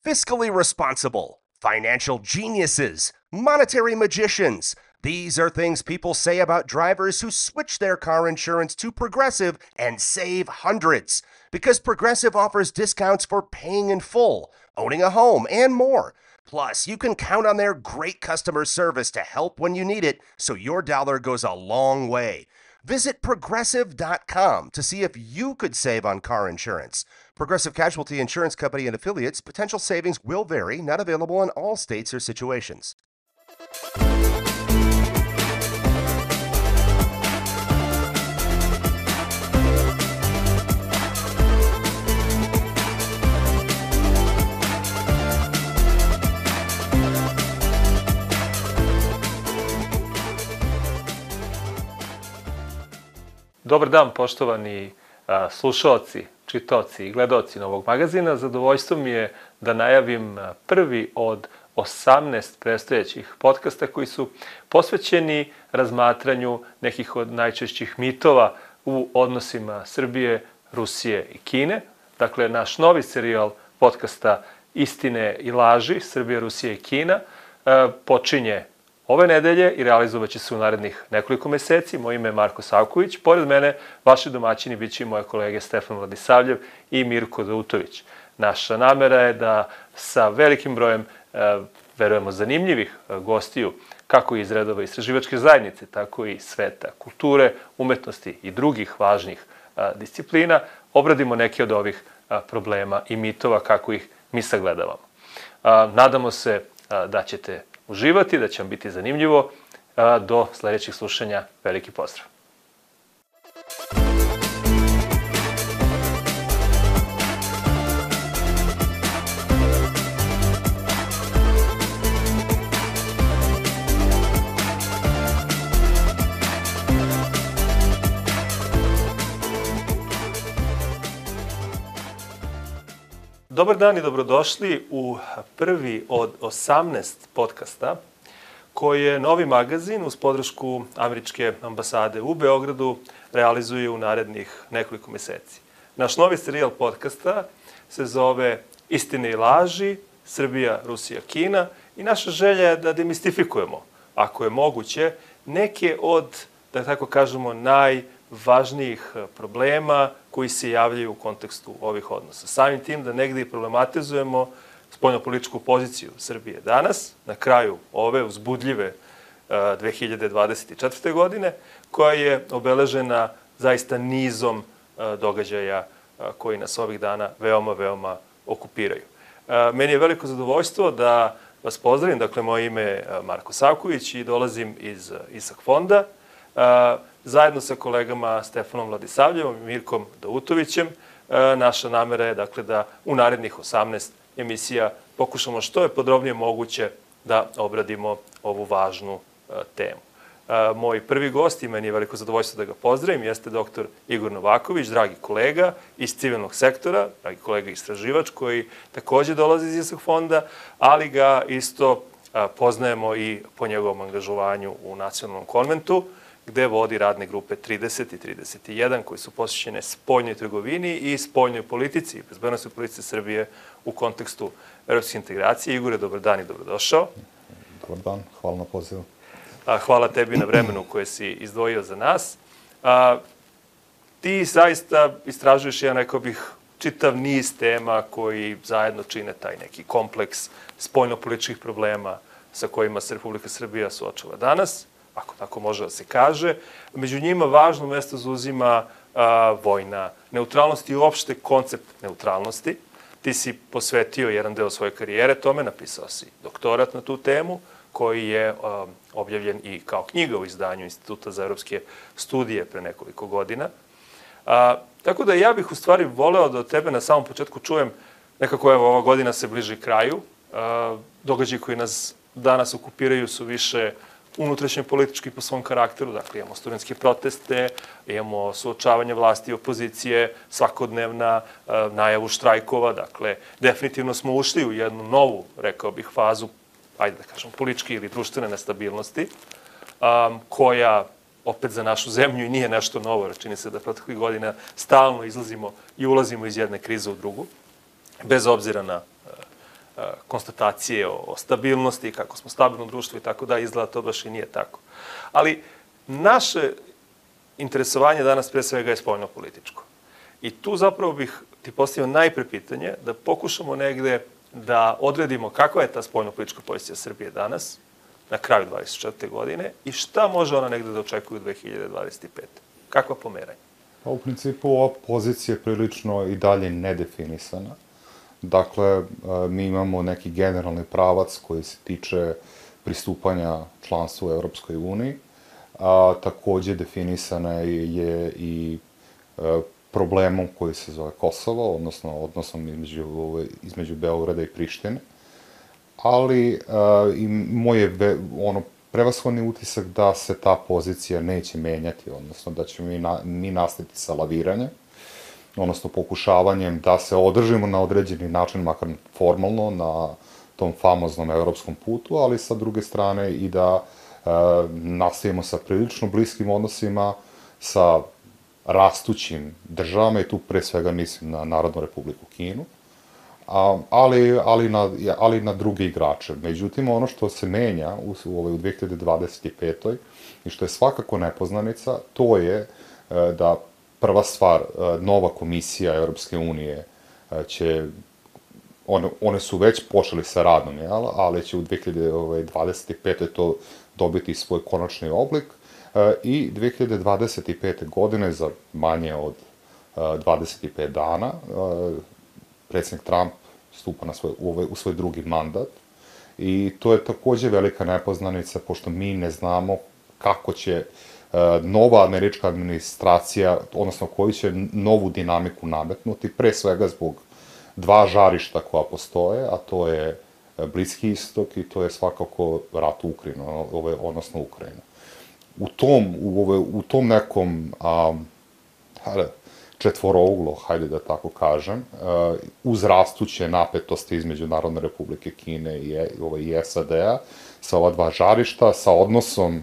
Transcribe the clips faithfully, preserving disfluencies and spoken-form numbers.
fiscally responsible, financial geniuses, monetary magicians. These are things people say about drivers who switch their car insurance to Progressive and save hundreds. Because Progressive offers discounts for paying in full, owning a home, and more. Plus, you can count on their great customer service to help when you need it, so your dollar goes a long way. Visit Progressive dot com to see if you could save on car insurance. Progressive Casualty Insurance Company and affiliates. Potential savings will vary. Not available in all states or situations. Dobar dan, poštovani a, slušaoci, čitaoci i gledaoci Novog magazina. Zadovoljstvo mi je da najavim prvi od osamnaest predstojećih podcasta koji su posvećeni razmatranju nekih od najčešćih mitova u odnosima Srbije, Rusije i Kine. Dakle, naš novi serijal podcasta Istine i laži, Srbija, Rusija i Kina, a, počinje ove nedelje i realizovat će se u narednih nekoliko meseci. Moje ime je Marko Savković. Pored mene, vaši domaćini bit će i moje kolege Stefan Vladisavljev i Mirko Dautović. Naša namera je da sa velikim brojem, e, verujemo, zanimljivih gostiju, kako iz redova istraživačke zajednice, tako i sveta kulture, umetnosti i drugih važnih a, disciplina, obradimo neke od ovih a, problema i mitova kako ih mi sagledavamo. A, nadamo se a, da ćete uživati, da će vam biti zanimljivo. Do sledećih slušanja, veliki pozdrav. Dobar dan i dobrodošli u prvi od osamnaest podcasta koji je novi magazin uz podršku Američke ambasade u Beogradu realizuje u narednih nekoliko meseci. Naš novi serijal podcasta se zove Istine i laži, Srbija, Rusija, Kina i naša želja je da demistifikujemo, ako je moguće, neke od, da tako kažemo, najvažnijih problema koji se javljaju u kontekstu ovih odnosa. Samim tim da negde i problematizujemo spoljnopolitičku poziciju Srbije danas, na kraju ove uzbudljive dve hiljade dvadeset četvrte. godine, koja je obeležena zaista nizom događaja koji nas ovih dana veoma, veoma okupiraju. Meni je veliko zadovoljstvo da vas pozdravim. Dakle, moje ime je Marko Savković i dolazim iz ISAK fonda. Zajedno sa kolegama Stefanom Vladisavljevom i Mirkom Dautovićem, naša namera je dakle da u narednih osamnaest emisija pokušamo što je podrobnije moguće da obradimo ovu važnu temu. Moj prvi gost, i meni je veliko zadovoljstvo da ga pozdravim, jeste doktor Igor Novaković, dragi kolega iz civilnog sektora, dragi kolega istraživač koji takođe dolazi iz ISAK fonda, ali ga isto poznajemo i po njegovom angažovanju u Nacionalnom konventu, gde vodi radne grupe trideset i trideset jedan, koji su posvećene spoljnoj trgovini i spoljnoj politici, bezbednosnoj politici Srbije u kontekstu evropske integracije. Igore, dobar dan i dobrodošao. Dobar dan, hvala na pozivu. Hvala tebi na vremenu koje si izdvojio za nas. A, ti zaista istražuješ, ja rekao bih, čitav niz tema koji zajedno čine taj neki kompleks spoljnopolitičkih problema sa kojima se Republika Srbija suočava danas, ako tako može da se kaže. Među njima važno mesto zauzima a, vojna neutralnost i uopšte koncept neutralnosti. Ti si posvetio jedan deo svoje karijere tome, napisao si doktorat na tu temu, koji je a, objavljen i kao knjiga u izdanju Instituta za evropske studije pre nekoliko godina. A, tako da ja bih u stvari voleo da od tebe na samom početku čujem, nekako evo ova godina se bliži kraju, a, događaji koji nas danas okupiraju su više unutrašnje politički po svom karakteru, dakle imamo studentske proteste, imamo suočavanje vlasti i opozicije, svakodnevna najavu štrajkova, dakle definitivno smo ušli u jednu novu, rekao bih, fazu, ajde da kažem, političke ili društvene nestabilnosti, koja opet za našu zemlju i nije nešto novo, jer čini se da proteklih godina stalno izlazimo i ulazimo iz jedne krize u drugu, bez obzira na konstatacije o, o stabilnosti, kako smo stabilno društvo i tako da, izgleda to baš i nije tako. Ali naše interesovanje danas pre svega je spoljno-političko. I tu zapravo bih ti postavio najpre pitanje da pokušamo negde da odredimo kakva je ta spoljno-politička pozicija Srbije danas, na kraju dvadeset četvrte godine, i šta može ona negde da očekuje u dve hiljade dvadeset pete. Kakva pomeranja? Pa u principu ova pozicija je prilično i dalje nedefinisana. Dakle, mi imamo neki generalni pravac koji se tiče pristupanja članstvu u Evropskoj uniji, a takođe definisana je i problemom koji se zove Kosovo, odnosno odnosom između, između Beograda i Prištine. Ali i moj je ono, prevashodni utisak da se ta pozicija neće menjati, odnosno da ćemo mi, na, mi nastaviti sa laviranjem, odnosno pokušavanjem da se održimo na određeni način, makar formalno, na tom famoznom evropskom putu, ali sa druge strane i da e, nastavimo sa prilično bliskim odnosima sa rastućim državama, i tu pre svega mislim na Narodnu Republiku Kinu, a, ali, ali, na, ali na druge igrače. Međutim, ono što se menja u, u, u dve hiljade dvadeset petoj i što je svakako nepoznanica, to je e, da prva stvar, nova komisija Evropske unije će, one, one su već počeli sa radom, jel? Ali će u dve hiljade dvadeset petoj to dobiti svoj konačni oblik i dve hiljade dvadeset pete godine, za manje od dvadeset pet dana, predsjednik Trump stupa na svoj, u svoj drugi mandat i to je takođe velika nepoznanica, pošto mi ne znamo kako će nova američka administracija, odnosno koju će novu dinamiku nametnuti, pre svega zbog dva žarišta koja postoje, a to je Bliski istok i to je svakako rat u Ukrajini, odnosno Ukrajina. U tom, u, u tom nekom a, četvorouglo, hajde da tako kažem, uz rastuće napetosti između Narodne Republike Kine i, i S A D-a, sa ova dva žarišta, sa odnosom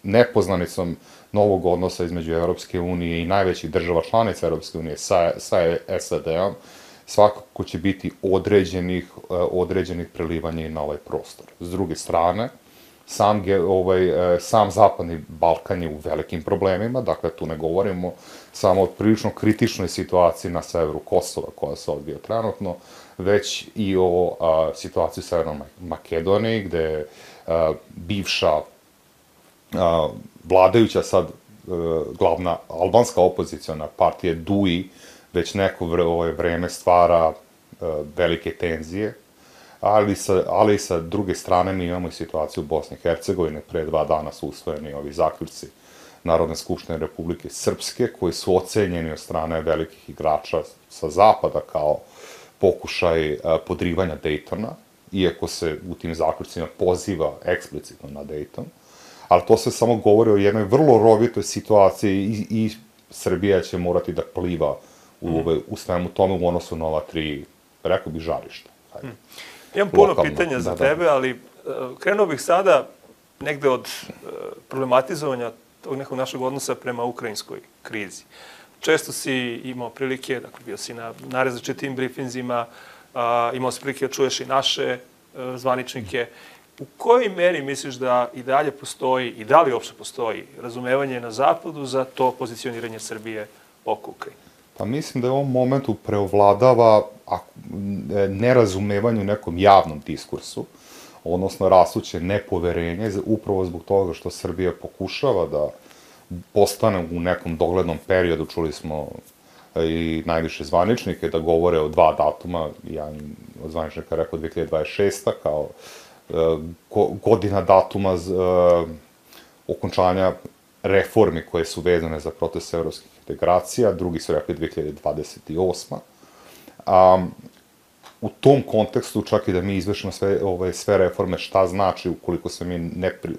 nepoznanicom novog odnosa između Evropske unije i najvećih država članica Evropske unije sa, sa S A D-om, svakako će biti određenih, određenih prelivanja i na ovaj prostor. S druge strane, sam, ovaj, sam Zapadni Balkan je u velikim problemima, dakle tu ne govorimo samo o prilično kritičnoj situaciji na severu Kosova koja se odvija trenutno, već i o a, situaciji u Severnoj Makedoniji, gde a, bivša a, vladajuća sad a, glavna albanska opoziciona partija D U I već neko vreme stvara a, velike tenzije, ali sa, ali sa druge strane mi imamo i situaciju u Bosni i Hercegovini. Pre dva dana su usvojeni ovi zaključci Narodne skupštine Republike Srpske, koji su ocenjeni od strane velikih igrača sa zapada kao pokušaj a, podrivanja Dejtona, iako se u tim zaključcima poziva eksplicitno na Dejton. Ali to se samo govori o jednoj vrlo rovitoj situaciji i, i Srbija će morati da pliva u, mm. u svemu tome u odnosu na ova tri, rekao bih, žarišta. Hajde. Mm. Imam puno Lokalno, pitanja za da, tebe, da. ali uh, krenuo bih sada negde od uh, problematizovanja tog nekog našeg odnosa prema ukrajinskoj krizi. Često si imao prilike, dakle bio si na, na različitim brifinzima, uh, imao si prilike da čuješ i naše uh, zvaničnike. U kojoj meri misliš da i dalje postoji, i da li uopšte postoji, razumevanje na Zapadu za to pozicioniranje Srbije oko Ukrajine? Pa mislim da je u ovom momentu preovladava nerazumevanje u nekom javnom diskursu, odnosno rastuće nepoverenje, upravo zbog toga što Srbija pokušava da postane u nekom doglednom periodu, čuli smo i najviše zvaničnike da govore o dva datuma, jedan od zvaničnika rekao dve hiljade dvadeset šesta kao godina datuma okončanja reformi koje su vezane za proces evropskih integracija, drugi su rekli dve hiljade dvadeset osma. Um, u tom kontekstu, čak i da mi izvršimo sve, ove, sve reforme, šta znači ukoliko se mi ne, pri,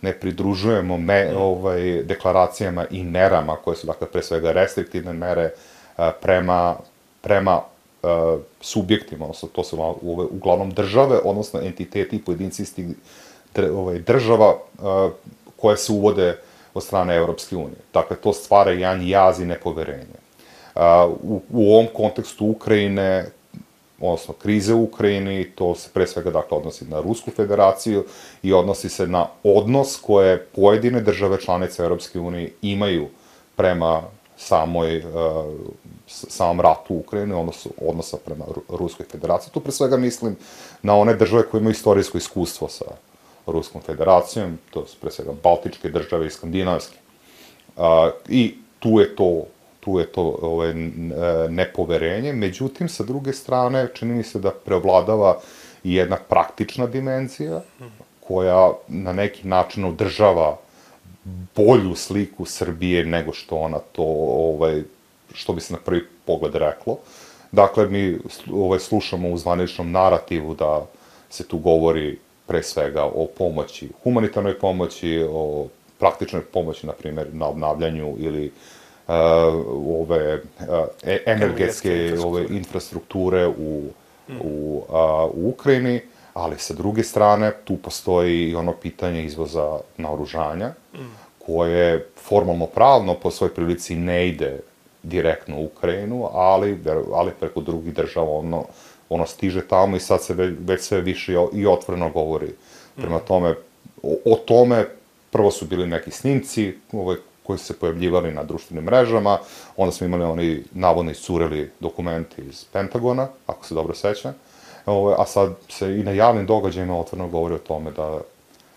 ne pridružujemo me, ovaj, deklaracijama i merama, koje su, dakle, pre svega restriktivne mere prema, prema uh, subjektima, odnosno to su ove, uglavnom države, odnosno entiteti i pojedinci istih ovaj, država uh, koje se uvode od strane Evropske unije. Dakle, to stvara jedan jaz i nepoverenje. Uh, u, u ovom kontekstu Ukrajine, odnosno krize u Ukrajini, to se pre svega dakle odnosi na Rusku federaciju i odnosi se na odnos koje pojedine države članice Europske unije imaju prema samoj, uh, samom ratu u Ukrajini, odnosu, odnosa prema Ruskoj federaciji. Tu pre svega mislim na one države koje imaju istorijsko iskustvo sa Ruskom federacijom, to su pre svega Baltičke države i Skandinavske. Uh, I tu je to tu je to ovaj, nepoverenje, međutim, sa druge strane, čini mi se da preovladava i jedna praktična dimenzija, koja na neki način održava bolju sliku Srbije nego što ona to, ovaj, što bi se na prvi pogled reklo. Dakle, mi ovaj, slušamo u zvaničnom narativu da se tu govori pre svega o pomoći, humanitarnoj pomoći, o praktičnoj pomoći, na primjer, na obnavljanju ili Uh, ove uh, energetske ove infrastrukture u, mm. u, uh, u Ukrajini, ali sa druge strane tu postoji i ono pitanje izvoza naoružanja, mm. koje formalno pravno po svoj prilici ne ide direktno u Ukrajinu, ali, ali preko drugih država ono, ono stiže tamo i sad se već, već sve više i otvoreno govori. Prema tome, o, o tome prvo su bili neki snimci, ovaj, koji su se pojavljivali na društvenim mrežama, onda smo imali oni navodno iscureli dokumenti iz Pentagona, ako se dobro sećam, a sad se i na javnim događajima otvoreno govori o tome da,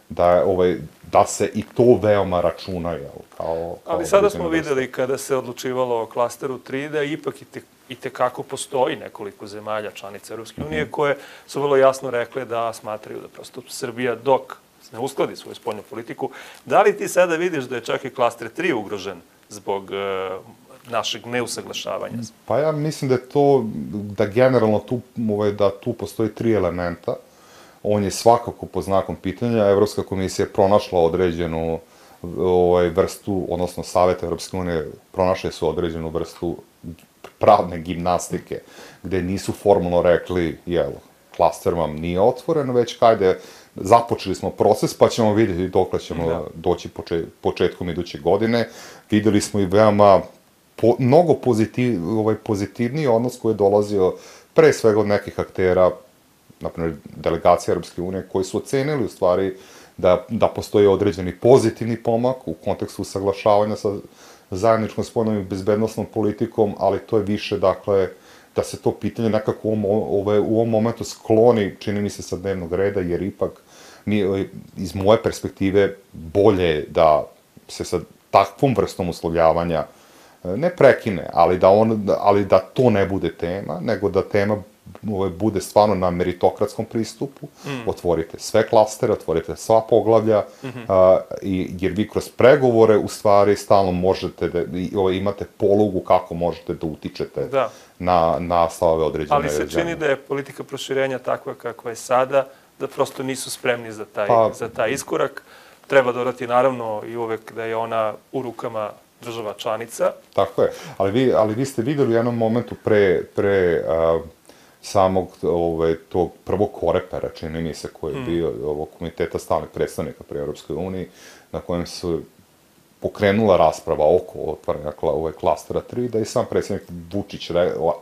da, ovaj, da se i to veoma računa, jel, kao... kao Ali sada smo videli kada se odlučivalo o klasteru tri da ipak i te, i tekako postoji nekoliko zemalja članica Europske unije mm-hmm. koje su vrlo jasno rekle da smatraju da prosto Srbija dok ne uskladi svoju spoljnu politiku. Da li ti sada vidiš da je čak i klaster tri ugrožen zbog uh, našeg neusaglašavanja? Pa ja mislim da je to, da generalno tu, ovaj, da tu postoji tri elementa. On je svakako pod znakom pitanja. Evropska komisija je pronašla određenu ovaj, vrstu, odnosno Savet Evropske unije pronašli su određenu vrstu pravne gimnastike, gde nisu formalno rekli, jel, klaster vam nije otvoren, već kajde, započeli smo proces, pa ćemo vidjeti dokle ćemo da. doći poče, početkom iduće godine. Videli smo i veoma po, mnogo pozitiv, ovaj, pozitivniji odnos koji je dolazio pre svega od nekih aktera, naprimjer delegacija Europske unije, koji su ocenili u stvari da, da postoji određeni pozitivni pomak u kontekstu usaglašavanja sa zajedničkom spoljnom i bezbednostnom politikom, ali to je više, dakle, da se to pitanje nekako u ovom, ove, u ovom momentu skloni, čini mi se, sa dnevnog reda, jer ipak mi, iz moje perspektive bolje da se sa takvom vrstom uslovljavanja ne prekine, ali da, on, ali da to ne bude tema, nego da tema ove, bude stvarno na meritokratskom pristupu, mm. otvorite sve klastere, otvorite sva poglavlja, mm-hmm. a, i, jer vi kroz pregovore u stvari stalno možete da ove, imate polugu kako možete da utičete da. na, na stavove određene Ali se čini zemlje. da je politika proširenja takva kakva je sada, da prosto nisu spremni za taj, pa, za taj iskorak. Treba dodati naravno i uvek da je ona u rukama država članica. Tako je, ali vi, ali vi ste videli u jednom momentu pre, pre uh, samog ove, tog prvog korepera, čini mi se, koji je hmm. bio ovog komiteta stalnih predstavnika pri Europskoj uniji, na kojem su pokrenula rasprava oko otvaranja ove klastera tri, da je sam predsjednik Vučić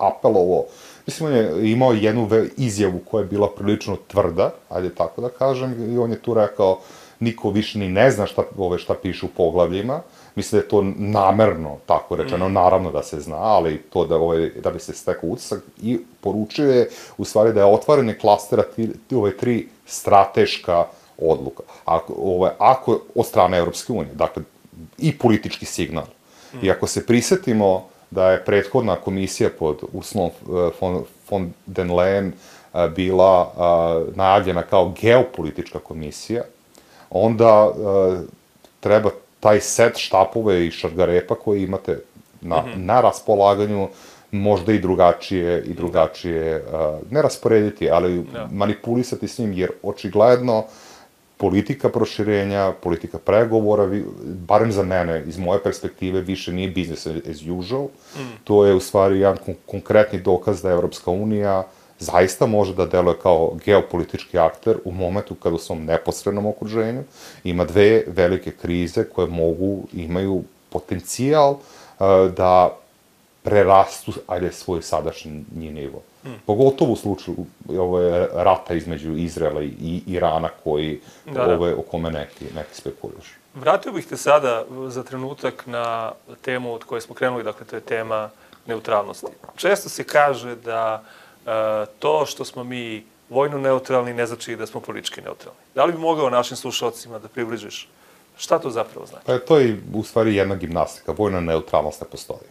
apelovao. Mislim, on je imao jednu izjavu koja je bila prilično tvrda, ajde tako da kažem, i on je tu rekao niko više ni ne zna šta, ove, šta piše u poglavljima. Mislim da je to namerno tako rečeno, mm. naravno da se zna, ali to da, ove, da bi se stekao utisak i poručio je u stvari da je otvaranje klastera ti, ove tri strateška odluka. Ako, ove, ako od strane Europske unije, dakle, i politički signal. Mm. I ako se prisetimo da je prethodna komisija pod Ursulom von, von den Leyen bila uh, najavljena kao geopolitička komisija, onda uh, treba taj set štapove i šargarepa koje imate na, mm-hmm. na raspolaganju možda i drugačije, i drugačije uh, ne rasporediti, ali no. manipulisati s njim, jer očigledno politika proširenja, politika pregovora, barem za mene, iz moje perspektive, više nije business as usual. Mm. To je u stvari jedan kon- konkretni dokaz da Evropska unija zaista može da deluje kao geopolitički akter u momentu kada u svom neposrednom okruženju ima dve velike krize koje mogu, imaju potencijal uh, da prerastu, ajde, svoj sadašnji nivo. Mm. Pogotovo u slučaju ove, rata između Izraela i Irana koji, da, da. Ove, o kome neki, neki spekuliš. Vratio bih te sada za trenutak na temu od koje smo krenuli, dakle to je tema neutralnosti. Često se kaže da e, to što smo mi vojno neutralni ne znači da smo politički neutralni. Da li bi mogao našim slušalcima da približiš šta to zapravo znači? Pa to je u stvari jedna gimnastika. Vojna neutralnost ne postoji.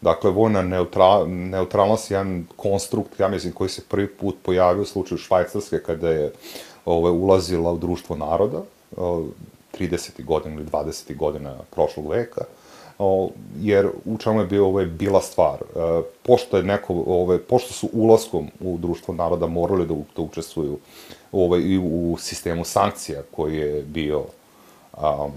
Dakle, vojna neutra, neutralnost je jedan konstrukt, ja mislim, koji se prvi put pojavio u slučaju Švajcarske kada je ove, ulazila u društvo naroda, tridesetih godina ili dvadesetih godina prošlog veka, o, jer u čemu je bio, ove, bila stvar. E, pošto, je neko, ove, pošto su ulaskom u društvo naroda morali da, da učestvuju ove, i u sistemu sankcija koji je bio um,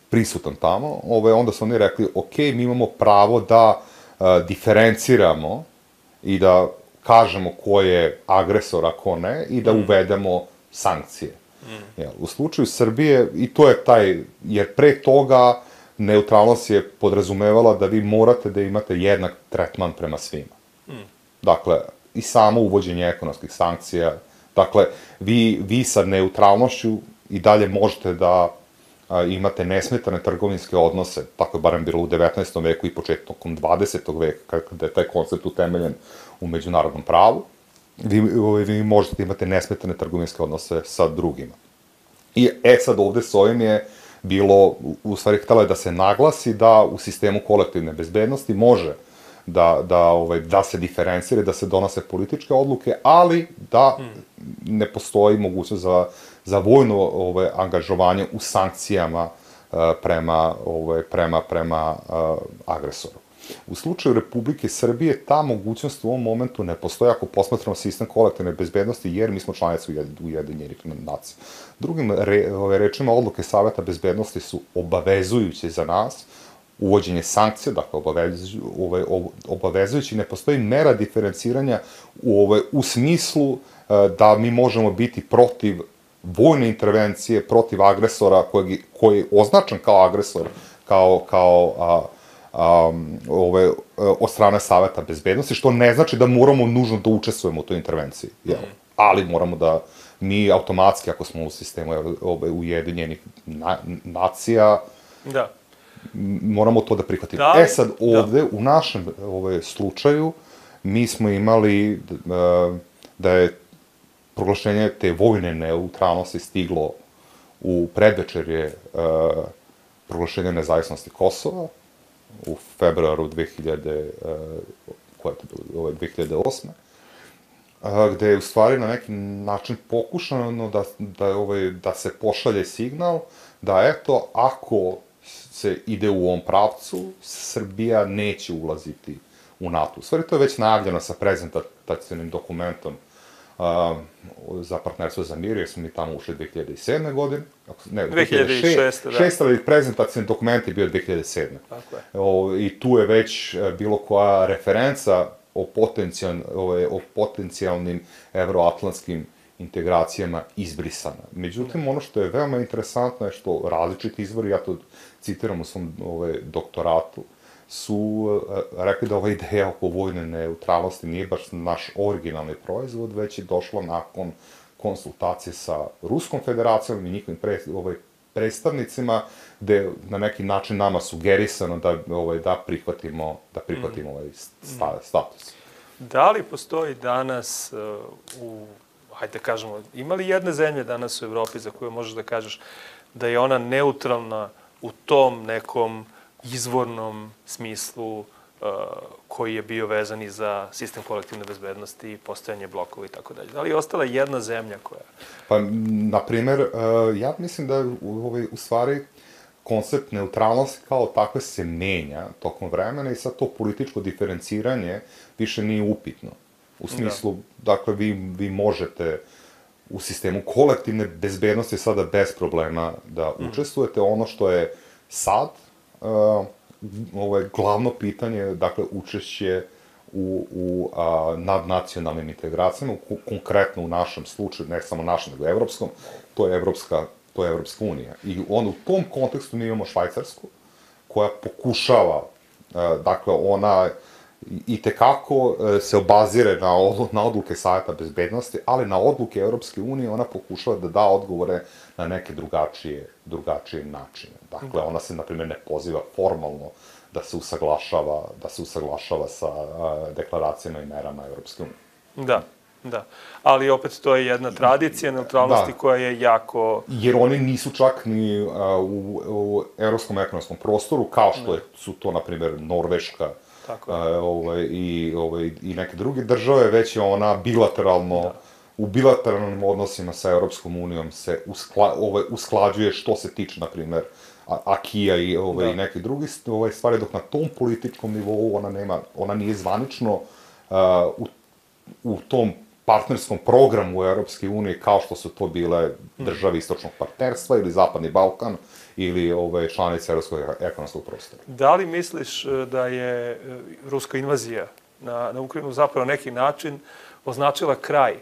prisutan tamo, ove, onda su oni rekli, ok, mi imamo pravo da a, diferenciramo i da kažemo ko je agresor, a ko ne, i da mm. uvedemo sankcije. Mm. Ja, u slučaju Srbije, i to je taj, jer pre toga neutralnost je podrazumevala da vi morate da imate jednak tretman prema svima. Mm. Dakle, i samo uvođenje ekonomskih sankcija, dakle, vi, vi sa neutralnošću i dalje možete da a, imate nesmetane trgovinske odnose, tako je barem bilo u devetnaestom veku i početkom dvadesetog veka, kada je taj koncept utemeljen u međunarodnom pravu, vi, vi možete imate nesmetane trgovinske odnose sa drugima. I e sad ovde s ovim je bilo, u stvari htjela je da se naglasi da u sistemu kolektivne bezbednosti može da, da, ovaj, da se diferencira, da se donose političke odluke, ali da ne postoji mogućnost za, za vojno ovaj, angažovanje u sankcijama uh, prema, ovaj, prema, prema uh, agresoru. U slučaju Republike Srbije ta mogućnost u ovom momentu ne postoji ako posmatramo sistem kolektivne bezbednosti, jer mi smo članice Ujedinjenih nacija. Drugim re, ove, rečima, odluke Saveta bezbednosti su obavezujuće za nas, uvođenje sankcija, dakle obavezujući, ove, obavezujući, ne postoji mera diferenciranja u, ove, u smislu uh, da mi možemo biti protiv vojne intervencije, protiv agresora koji, koji je označen kao agresor, kao, kao a, Um, ove, od strane Saveta bezbednosti, što ne znači da moramo nužno da učestvujemo u toj intervenciji. Jel? Mm. Ali moramo da mi automatski, ako smo u sistemu ove, Ujedinjenih na, nacija, da. moramo to da prihvatimo. Da, e sad, ovde, da. u našem ove, slučaju, mi smo imali uh, da je proglašenje te vojne neutralnosti stiglo u predvečerje uh, proglašenja nezavisnosti Kosova, u februaru dve hiljade, koja je to bilo, ovaj, dve hiljade osme, gde je u stvari na neki način pokušano da, da, ovaj, da se pošalje signal da eto, ako se ide u ovom pravcu, Srbija neće ulaziti u NATO. U stvari to je već najavljeno sa prezentacijnim dokumentom uh, za partnerstvo za mir, jer smo mi tamo ušli dve hiljade sedme godine. Ne, dve hiljade šeste, da. Šest, ali prezentacijni dokument je bio dve hiljade sedme. Tako je. O, I tu je već bilo koja referenca o, potencijal, o, o potencijalnim evroatlantskim integracijama izbrisana. Međutim, ono što je veoma interesantno je što različiti izvori, ja to citiram u svom ove, doktoratu, su uh, rekli da ova ideja oko vojne neutralnosti nije baš naš originalni proizvod, već je došla nakon konsultacije sa Ruskom federacijom i njihovim pre, ovaj, predstavnicima, gde na neki način nama sugerisano da, ovaj, da prihvatimo, da prihvatimo mm. ovaj sta, status. Da li postoji danas uh, u, hajde kažemo, ima li jedne zemlje danas u Evropi za koju možeš da kažeš da je ona neutralna u tom nekom izvornom smislu uh, koji je bio vezan i za sistem kolektivne bezbednosti, postojanje blokova i tako dalje. Da li je ostala jedna zemlja koja... Pa, na primer, uh, ja mislim da u, ovaj, u stvari koncept neutralnosti kao takve se menja tokom vremena i sad to političko diferenciranje više nije upitno. U smislu, da. dakle, vi, vi možete u sistemu kolektivne bezbednosti sada bez problema da mm. učestvujete. Ono što je sad Uh, ovo je glavno pitanje, dakle, učešće u, u a, nadnacionalnim integracijama, u, konkretno u našem slučaju, ne samo našem, nego evropskom, to je Evropska, to je Evropska unija. I on, u tom kontekstu mi imamo Švajcarsku, koja pokušava Dakle, ona i tekako se obazire na, na odluke Saveta bezbednosti, ali na odluke Europske unije ona pokušava da da odgovore na neke drugačije, drugačije načine. Dakle, ona se, na primjer, ne poziva formalno da se usaglašava, da se usaglašava sa deklaracijama i merama Europske unije. Da, da. Ali opet to je jedna tradicija neutralnosti koja je jako... Jer oni nisu čak ni u, u evropskom ekonomskom prostoru, kao što je, su to, na primjer, Norveška, Uh, ovaj, i, ovaj, i neke druge države, već je ona bilateralno, da. u bilateralnim odnosima sa Europskom unijom se uskla, ovaj, usklađuje što se tiče, na primjer, Akija i, ovaj, i neke druge ovaj, stvari, dok na tom političkom nivou ona nema, ona nije zvanično uh, u, u tom partnerskom programu Europske unije kao što su to bile države istočnog partnerstva ili Zapadni Balkan, ili ove članice Evropskog ekonomskog prostora. Da li misliš da je ruska invazija na, na Ukrajinu zapravo na neki način označila kraj e,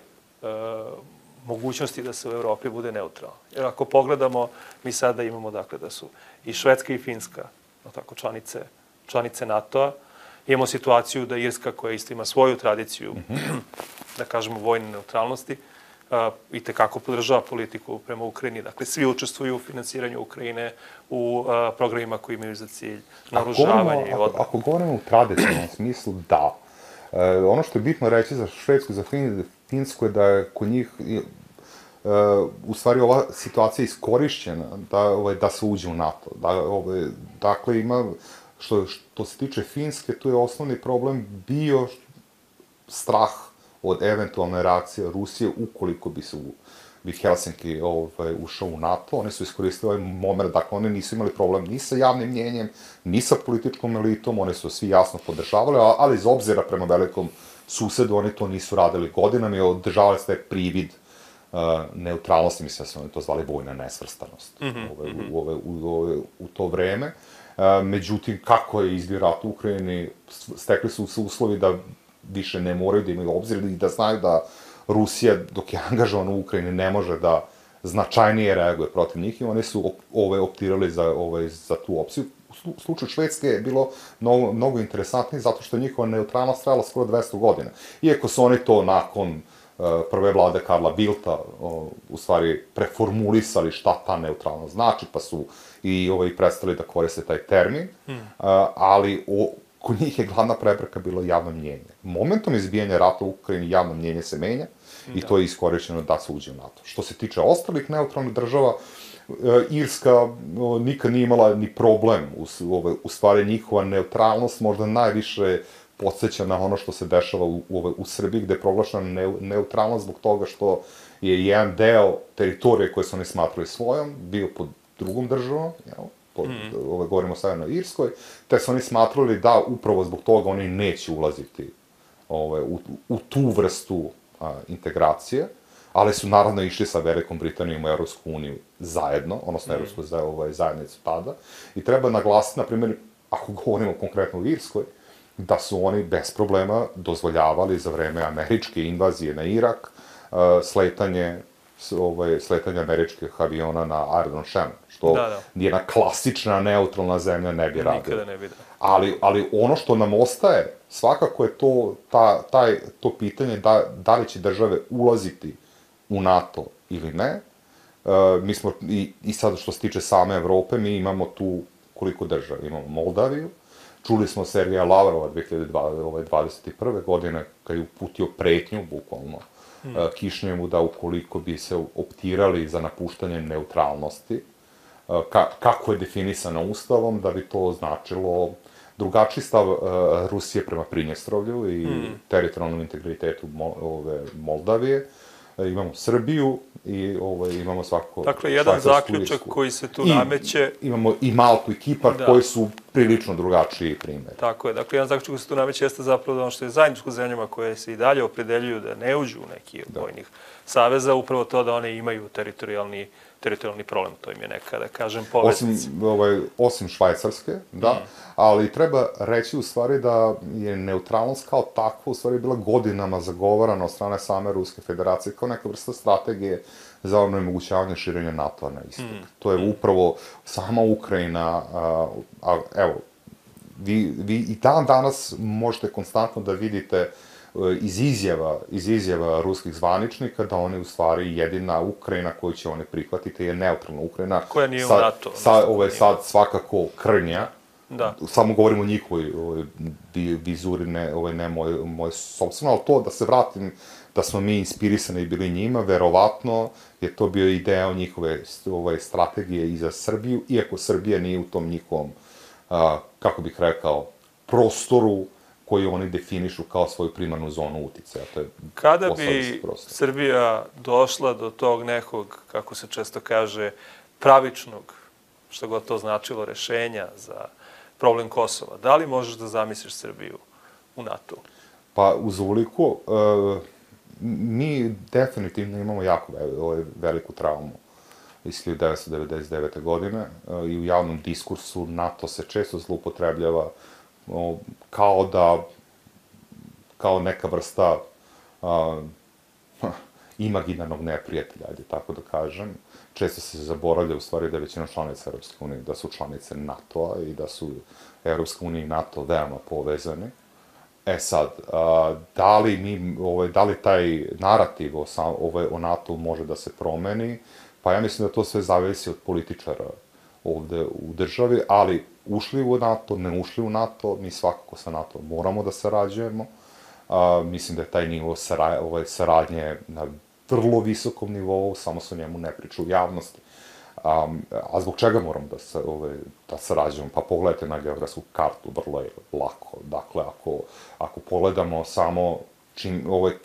mogućnosti da se u Evropi bude neutralno? Jer ako pogledamo, mi sada imamo dakle da su i Švedska i Finska, no tako, članice, članice NATO-a, imamo situaciju da Irska, koja isto ima svoju tradiciju, mm-hmm. da kažemo, vojne neutralnosti, i tekako podržava politiku prema Ukrajini. Dakle, svi učestvuju u finansiranju Ukrajine, u programima koji imaju za cilj naoružavanje i odbranu. Ako, ako govorimo u tradicionalnom smislu, da. E, ono što je bitno reći za Švedsku i za Finsku je da je kod njih e, u stvari ova situacija iskorišćena da, ovaj, da se uđe u NATO. Da, ovaj, dakle, ima, što, što se tiče Finske, tu je osnovni problem bio strah od eventualne reakcije Rusije ukoliko bi se bi Helsinki ovaj, ušao u NATO. Oni su iskoristili ovaj moment, dakle, oni nisu imali problem ni sa javnim mnjenjem, ni sa političkom elitom, oni su svi jasno podržavali, ali iz obzira prema velikom susedu, oni to nisu radili godinama i održavali se taj privid uh, neutralnosti, mislim da su oni to zvali vojna nesvrstanost mm-hmm. ove, u, ove, u, ove, u to vreme. Uh, međutim, kako je izbio rat u Ukrajini, stekli su se uslovi da više ne moraju da imaju obzir i da znaju da Rusija, dok je angažovana u Ukrajini, ne može da značajnije reaguje protiv njih i oni su ove, optirali za, ove, za tu opciju. U slučaju Švedske je bilo mnogo, mnogo interesantnije zato što je njihova neutralnost trajala skoro dvesta godina. Iako su oni to nakon uh, prve vlade Karla Bildta uh, u stvari preformulisali šta ta neutralnost znači, pa su i ovaj, prestali da koriste taj termin, hmm. uh, ali o, kod njih je glavna prepreka bilo javno mnjenje. Momentom izbijanja rata u Ukrajini javno mnjenje se menja i da. To je iskorišćeno da se uđe u NATO. Što se tiče ostalih neutralnih država, Irska nikad nije imala ni problem. U, u, u stvari njihova neutralnost možda najviše podsjeća na ono što se dešava u, u, u Srbiji, gde je proglašena ne, neutralnost zbog toga što je jedan deo teritorije koje su oni smatrali svojom bio pod drugom državom, jel? Pod, mm. ove, govorimo o Severnoj Irskoj, te su oni smatrali da upravo zbog toga oni neće ulaziti ove, u, u tu vrstu a, integracije, ali su naravno išli sa Velikom Britanijom u Evropsku uniju zajedno, odnosno mm. Evropsku za, ovaj, zajednicu tada, i treba naglasiti, na primjer, ako govorimo konkretno u Irskoj, da su oni bez problema dozvoljavali za vreme američke invazije na Irak uh, sletanje ovaj, sletanje američkih aviona na aerodrom Shannon, što da, da. Jedna klasična neutralna zemlja ne bi radila. Nikada ne bi da. Ali, ali ono što nam ostaje, svakako je to, ta, taj, to pitanje da, da li će države ulaziti u NATO ili ne. Uh, mi smo, i, i sad što se tiče same Evrope, mi imamo tu koliko država. Imamo Moldaviju, čuli smo Sergeja Lavrova dve hiljade dvadeset prve godine, kad je uputio pretnju, bukvalno, Hmm. Kišnjevu da ukoliko bi se optirali za napuštanje neutralnosti, ka, kako je definisano Ustavom, da bi to značilo drugačiji stav uh, Rusije prema Prinjestrovlju i hmm. teritorijalnom integritetu Mo, ove, Moldavije. E, imamo Srbiju i ove, imamo svako... Dakle, jedan zaključak koji se tu I, nameće... Imamo i Maltu i Kipar da. Koji su prilično drugačiji primjer. Tako je. Dakle, jedan zaključak koji se tu nameće jeste zapravo da ono što je zajedničko zemljama koje se i dalje opredeljuju da ne uđu u neki od vojnih saveza, upravo to da one imaju teritorijalni teritorijalni problem, to im je neka, da kažem, poveznica. Osim, ovaj, osim Švajcarske, da, mm. ali treba reći u stvari da je neutralnost kao takva u stvari bila godinama zagovarana od strane same Ruske federacije kao neka vrsta strategije za onemogućavanje širenja NATO-a na istok. Mm. To je upravo sama Ukrajina, a, a evo, vi, vi i dan danas možete konstantno da vidite iz izjava, iz izjava ruskih zvaničnika da oni u stvari jedina Ukrajina koju će oni prihvatiti je neutralna Ukrajina. Koja nije sad, u NATO. Sad, ovo je sad svakako krnja. Da. Samo govorimo o njihovoj ovaj, vizuri, ne, ovaj, ne moje, moje sobstveno, ali to da se vratim, da smo mi inspirisani bili njima, verovatno je to bio i deo njihove ovaj, strategije i za Srbiju, iako Srbija nije u tom njihovom, a, kako bih rekao, prostoru koji oni definišu kao svoju primarnu zonu uticaja. To je Kada bi Srbija došla do tog nekog, kako se često kaže, pravičnog, što god to značilo, rešenja za problem Kosova, da li možeš da zamisliš Srbiju u NATO? Pa, uz uliku, uh, mi definitivno imamo jako veliku traumu iz hiljadu devetsto devedeset devete. godine uh, i u javnom diskursu NATO se često zloupotrebljava uh, kao da, kao neka vrsta uh, imaginarnog neprijatelja, ajde tako da kažem. Često se zaboravlja u stvari da je većina članica Evropske unije, da su članice NATO-a i da su Evropska unija i NATO veoma povezani. E sad, a, da li mi, ovaj, da li taj narativ o, ovaj, o NATO može da se promeni? Pa ja mislim da to sve zavisi od političara ovde u državi, ali ušli u NATO, ne ušli u NATO, mi svakako sa NATO moramo da sarađujemo. A, mislim da je taj nivo sara, ovaj, saradnje na vrlo visokom nivou, samo se o njemu ne priča u javnosti. Um, a zbog čega moramo da, se, ove, da sarađujemo? Pa pogledajte na geografsku kartu, vrlo je lako. Dakle, ako, ako pogledamo samo čim, ove,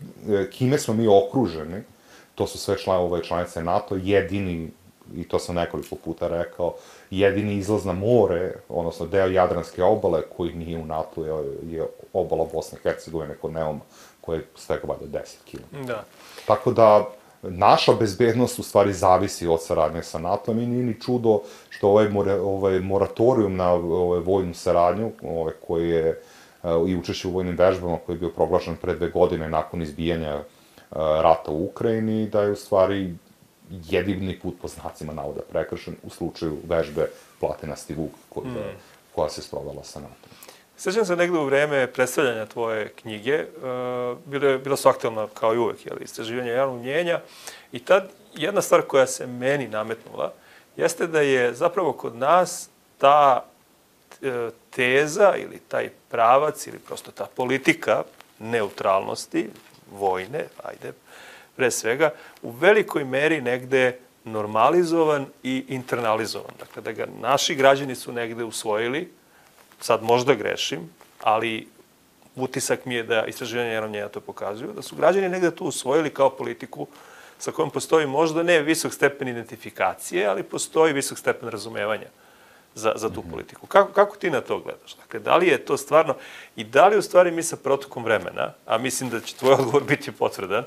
kime smo mi okruženi, to su sve član, ove, članice NATO, jedini, i to sam nekoliko puta rekao, jedini izlaz na more, odnosno deo Jadranske obale koji nije u NATO je, je obala Bosne i Hercegovine kod Neuma, koje je svega valjda deset kilometara. Da. Tako da, naša bezbednost u stvari zavisi od saradnje sa NATO-om i nije ni čudo što ovaj, ovaj moratorijum na ovaj, vojnu saradnju, ovaj, koji je i učešće u vojnim vežbama, koji je bio proglašen pre dve godine nakon izbijanja uh, rata u Ukrajini, da je u stvari jedini put po znacima navoda prekršen u slučaju vežbe Platinasti Vuk, koja, mm. koja se sprovela sa NATO-om. Sećam se negde u vreme predstavljanja tvoje knjige, uh, bilo, bilo su aktualna kao i uvek, jel, istraživanje javnog mnjenja, i tad jedna stvar koja se meni nametnula jeste da je zapravo kod nas ta e, teza ili taj pravac ili prosto ta politika neutralnosti, vojne, ajde, pre svega, u velikoj meri negde normalizovan i internalizovan. Dakle, da ga naši građani su negde usvojili, sad možda grešim, ali utisak mi je da istraživanje javnog mnjenja to pokazuju, da su građani negde to usvojili kao politiku sa kojom postoji možda ne visok stepen identifikacije, ali postoji visok stepen razumevanja za, za tu politiku. Kako, kako ti na to gledaš? Dakle, da li je to stvarno, i da li u stvari mi sa protokom vremena, a mislim da će tvoj odgovor biti potvrdan,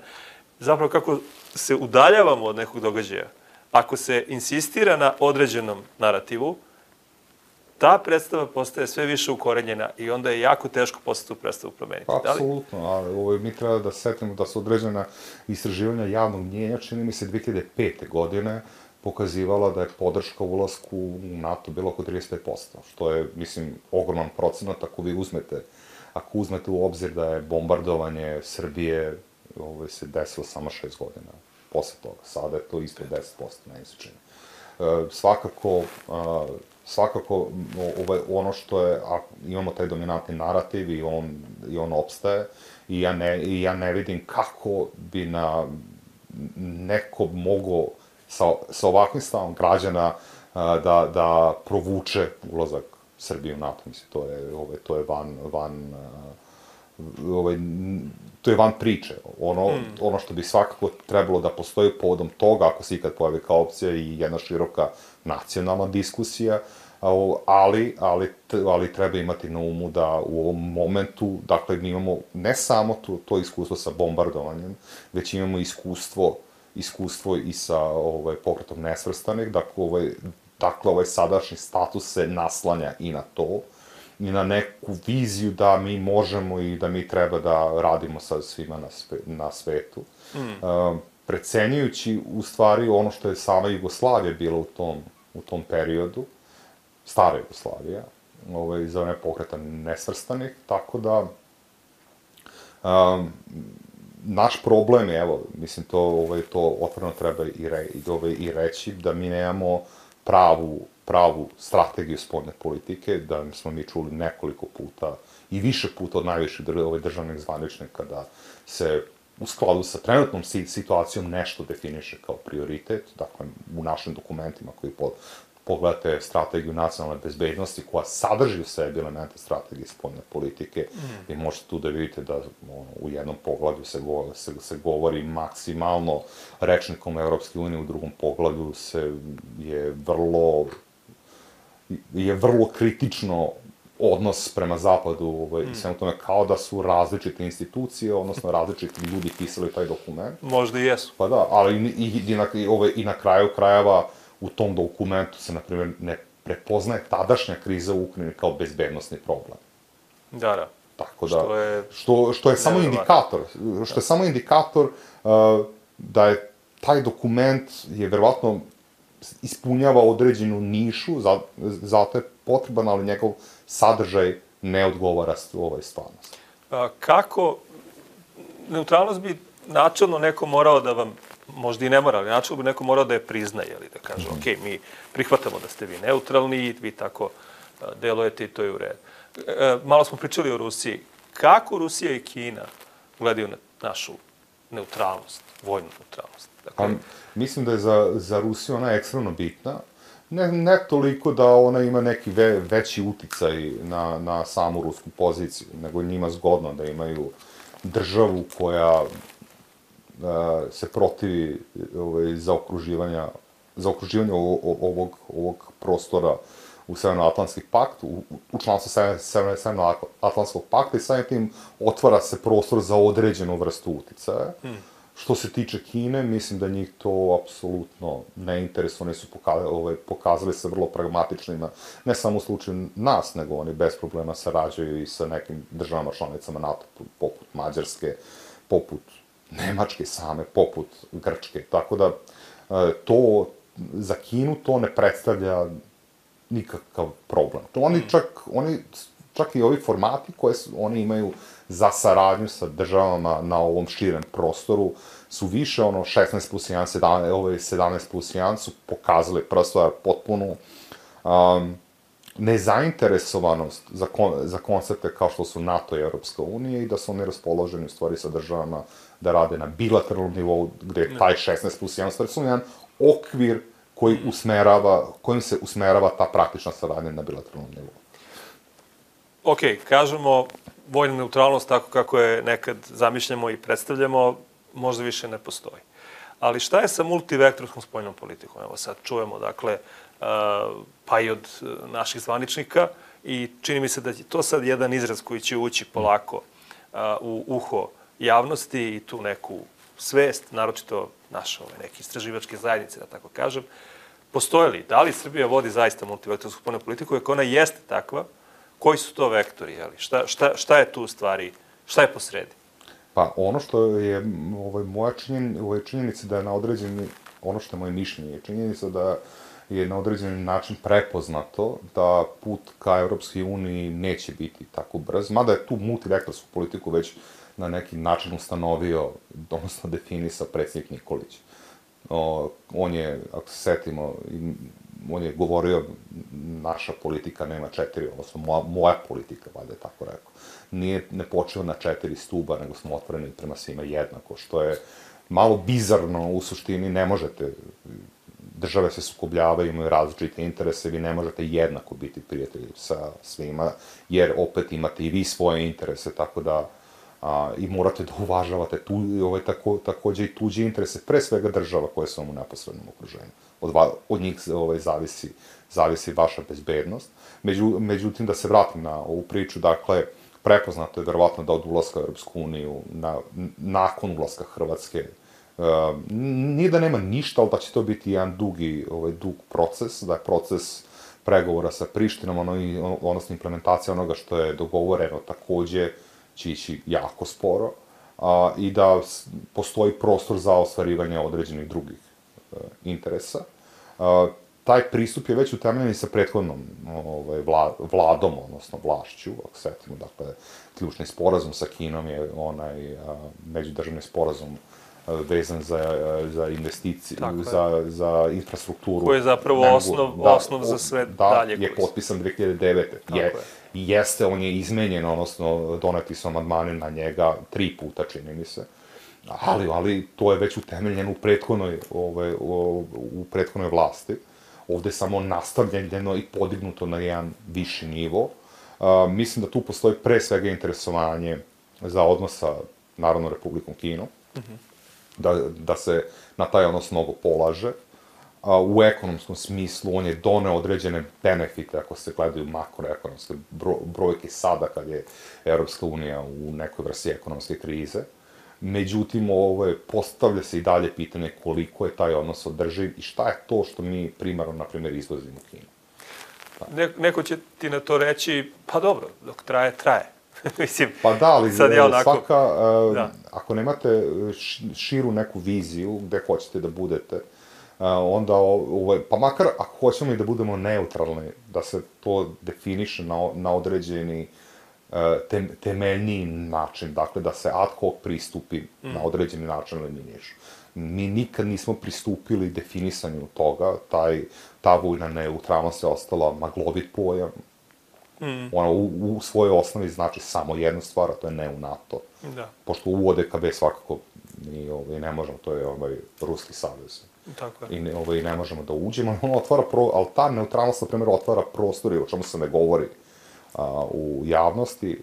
zapravo kako se udaljavamo od nekog događaja, ako se insistira na određenom narativu, ta predstava postaje sve više ukorenjena i onda je jako teško posle tu predstavu promeniti. Apsolutno, ali ovo, mi treba da setimo da su određena istraživanja javnog mnjenja, čini mi se dve hiljade pete. godine, pokazivala da je podrška ulasku u NATO bilo oko trideset pet posto, što je, mislim, ogroman procenat ako vi uzmete, ako uzmete u obzir da je bombardovanje Srbije ovo, se desilo samo šest godina posle toga. Sada je to isto deset posto, ne se čini. E, svakako, a, svakako ovaj, ono što je, a, imamo taj dominantni narativ i on, i on opstaje i ja, ne, i ja ne vidim kako bi na neko mogo sa, sa ovakvim stavom građana a, da, da provuče ulazak Srbije u NATO. Mislim, to je, ovaj, to je van, van ovaj, to je van priče. Ono, mm. ono što bi svakako trebalo da postoji povodom toga, ako se ikad pojavi kao opcija i jedna široka nacionalna diskusija, ali, ali, ali treba imati na umu da u ovom momentu, dakle, mi imamo ne samo to, to iskustvo sa bombardovanjem, već imamo iskustvo, iskustvo i sa ovaj, pokretom nesvrstanih, dakle, ovaj, dakle, ovaj sadašnji status se naslanja i na to, i na neku viziju da mi možemo i da mi treba da radimo sa svima na, sve, na svetu. Mm. Uh, precenjujući, u stvari, ono što je sama Jugoslavija bila u tom, u tom periodu, stara Jugoslavija, ovaj, za one pokreta nesvrstanih, tako da um, naš problem je, evo, mislim, to, ovaj, to otvoreno treba i, re, i, ovaj, i reći, da mi nemamo pravu, pravu strategiju spoljne politike, da smo mi čuli nekoliko puta i više puta od najviših ovaj, državnih zvaničnika da se u skladu sa trenutnom situacijom nešto definiše kao prioritet, dakle, u našim dokumentima koji po, pogledate strategiju nacionalne bezbednosti, koja sadrži u sebi elemente strategije spoljne politike, mm. vi možete tu da vidite da ono, u jednom pogledu se, go, se, se govori maksimalno rečnikom Evropske unije, u drugom pogledu se je vrlo je vrlo kritično odnos prema zapadu ovaj, mm. i svemu tome, kao da su različite institucije, odnosno različiti ljudi pisali taj dokument. Možda i jesu. Pa da, ali i, i, i, na, i, ovaj, i na kraju krajeva u tom dokumentu se, na primjer, ne prepoznaje tadašnja kriza u Ukrajini kao bezbednostni problem. Da, da. Tako da, što je, što, što je samo indikator, što je samo indikator uh, da je taj dokument je verovatno ispunjava određenu nišu, za, zato je potreban, ali njegov sadržaj ne odgovara ovoj stvarnosti. A, kako, neutralnost bi načelno neko morao da vam, možda i ne mora, ali načelno bi neko morao da je priznaje, ali da kaže, mm -hmm. ok, mi prihvatamo da ste vi neutralni, vi tako a, delujete i to je u redu. E, malo smo pričali o Rusiji. Kako Rusija i Kina gledaju na našu neutralnost, vojnu neutralnost? Dakle, A, mislim da je za, za Rusiju ona ekstremno bitna. Ne, ne toliko da ona ima neki ve, veći uticaj na, na samu rusku poziciju, nego njima zgodno da imaju državu koja a, se protivi ovaj, zaokruživanja, zaokruživanja ovog, ovog, ovog prostora u Severnoatlantski pakt, u, u članstvu Severnoatlantskog pakta i samim tim otvara se prostor za određenu vrstu uticaja. Hmm. Što se tiče Kine, mislim da njih to apsolutno ne interesuje. Oni su pokazali, ovaj, pokazali se vrlo pragmatičnima, ne samo u slučaju nas, nego oni bez problema sarađuju i sa nekim državama članicama NATO, poput Mađarske, poput Nemačke same, poput Grčke. Tako da, to, za Kinu to ne predstavlja nikakav problem. To oni čak, oni, čak i ovi formati koje su, oni imaju za saradnju sa državama na ovom širem prostoru su više, ono, šesnaest plus jedan, sedamnaest plus jedan su pokazali prva stvar potpunu um, nezainteresovanost za, kon, za koncepte kao što su NATO i Evropska unija i da su oni raspoloženi u stvari sa državama da rade na bilateralnom nivou, gde je taj šesnaest plus jedan stvari su jedan okvir koji usmerava, kojim se usmerava ta praktična saradnja na bilateralnom nivou. Ok, kažemo vojna neutralnost tako kako je nekad zamišljamo i predstavljamo, možda više ne postoji. Ali šta je sa multivektorskom spoljnom politikom? Evo sad čujemo, dakle, pa i od naših zvaničnika i čini mi se da je to sad jedan izraz koji će ući polako u uho javnosti i tu neku svest, naročito naše neke istraživačke zajednice, da tako kažem. Postoje li? Da li Srbija vodi zaista multivektorsku spoljnu politiku? Ako ona jeste takva, koji su to vektori? Jeli? Šta, šta, šta je tu u stvari? Šta je posredi? Pa ono što je ovaj, moja činjen, ovaj, činjenica da je na određeni, ono što je moje mišljenje, je činjenica da je na određeni način prepoznato da put ka Evropskoj uniji neće biti tako brz, mada je tu multivektorsku politiku već na neki način ustanovio, odnosno definisao predsjednik Nikolić. O, on je, ako se setimo, on je govorio naša politika nema četiri, odnosno moja, moja politika, valjda je tako rekao. Nije, ne počeo na četiri stuba, nego smo otvoreni prema svima jednako, što je malo bizarno u suštini, ne možete, države se sukobljavaju, imaju različite interese, vi ne možete jednako biti prijatelji sa svima, jer opet imate i vi svoje interese, tako da a, i morate da uvažavate tu, ovaj, tako, takođe i tuđe interese, pre svega država koje su vam u neposrednom okruženju. Od, od njih ovaj, zavisi, zavisi vaša bezbednost. Među, međutim, da se vratim na ovu priču, dakle, prepoznato je verovatno da od ulaska u Europsku uniju, na, nakon ulaska Hrvatske, uh, nije da nema ništa, ali da će to biti jedan dugi, ovaj, dug proces, da je proces pregovora sa Prištinom, ono, odnosno implementacija onoga što je dogovoreno takođe će ići jako sporo, a, i da postoji prostor za ostvarivanje određenih drugih a, interesa. A, taj pristup je već utemeljen i sa prethodnom ovaj, vla, vladom, odnosno vlašću, ako setimo, dakle, ključni sporazum sa Kinom je onaj a, međudržavni sporazum a, vezan za, a, za investicije, za, za infrastrukturu. Koji je zapravo mogu, osnov, da, osnov za sve da, dalje. Da, je potpisan dve hiljade devete. Je, je. Jeste, on je izmenjen, odnosno doneti su amandmani na njega tri puta, čini mi se. Ali, ali to je već utemeljeno u prethodnoj, ove, u, u prethodnoj vlasti. Ovde je samo nastavljeno i podignuto na jedan viši nivo. A, mislim da tu postoji pre svega interesovanje za odnos sa Narodnom Republikom Kinom, mm-hmm. da, da se na taj odnos mnogo polaže. A, u ekonomskom smislu on je doneo određene benefite, ako se gledaju makroekonomske bro, brojke sada, kad je Evropska unija u nekoj vrsti ekonomske krize. Međutim, ovo je, postavlja se i dalje pitanje koliko je taj odnos održiv i šta je to što mi primarno, na primjer, izvozimo u Kinu. Ne, neko će ti na to reći, pa dobro, dok traje, traje. Mislim, pa da, ali sad je onako, svaka, uh, da. ako nemate širu neku viziju gde hoćete da budete, uh, onda, ovaj, pa makar ako hoćemo i da budemo neutralni, da se to definiše na, na određeni Tem, temeljniji način, dakle da se ad hoc pristupi mm. na određeni način eliminišu. Mi nikad nismo pristupili definisanju toga, taj, ta vojna neutralnost je ostala maglovit pojam. Mm. Ona u, u svojoj osnovi znači samo jednu stvar, a to je ne u NATO. Da. Pošto u O D K B svakako mi ovaj, ne možemo, to je ovaj, Ruski savez. Tako je. I ne, ovaj, ne možemo da uđemo, ono otvara pro, ali ta neutralnost, na primjer, otvara prostor, o čemu se ne govori A, u javnosti.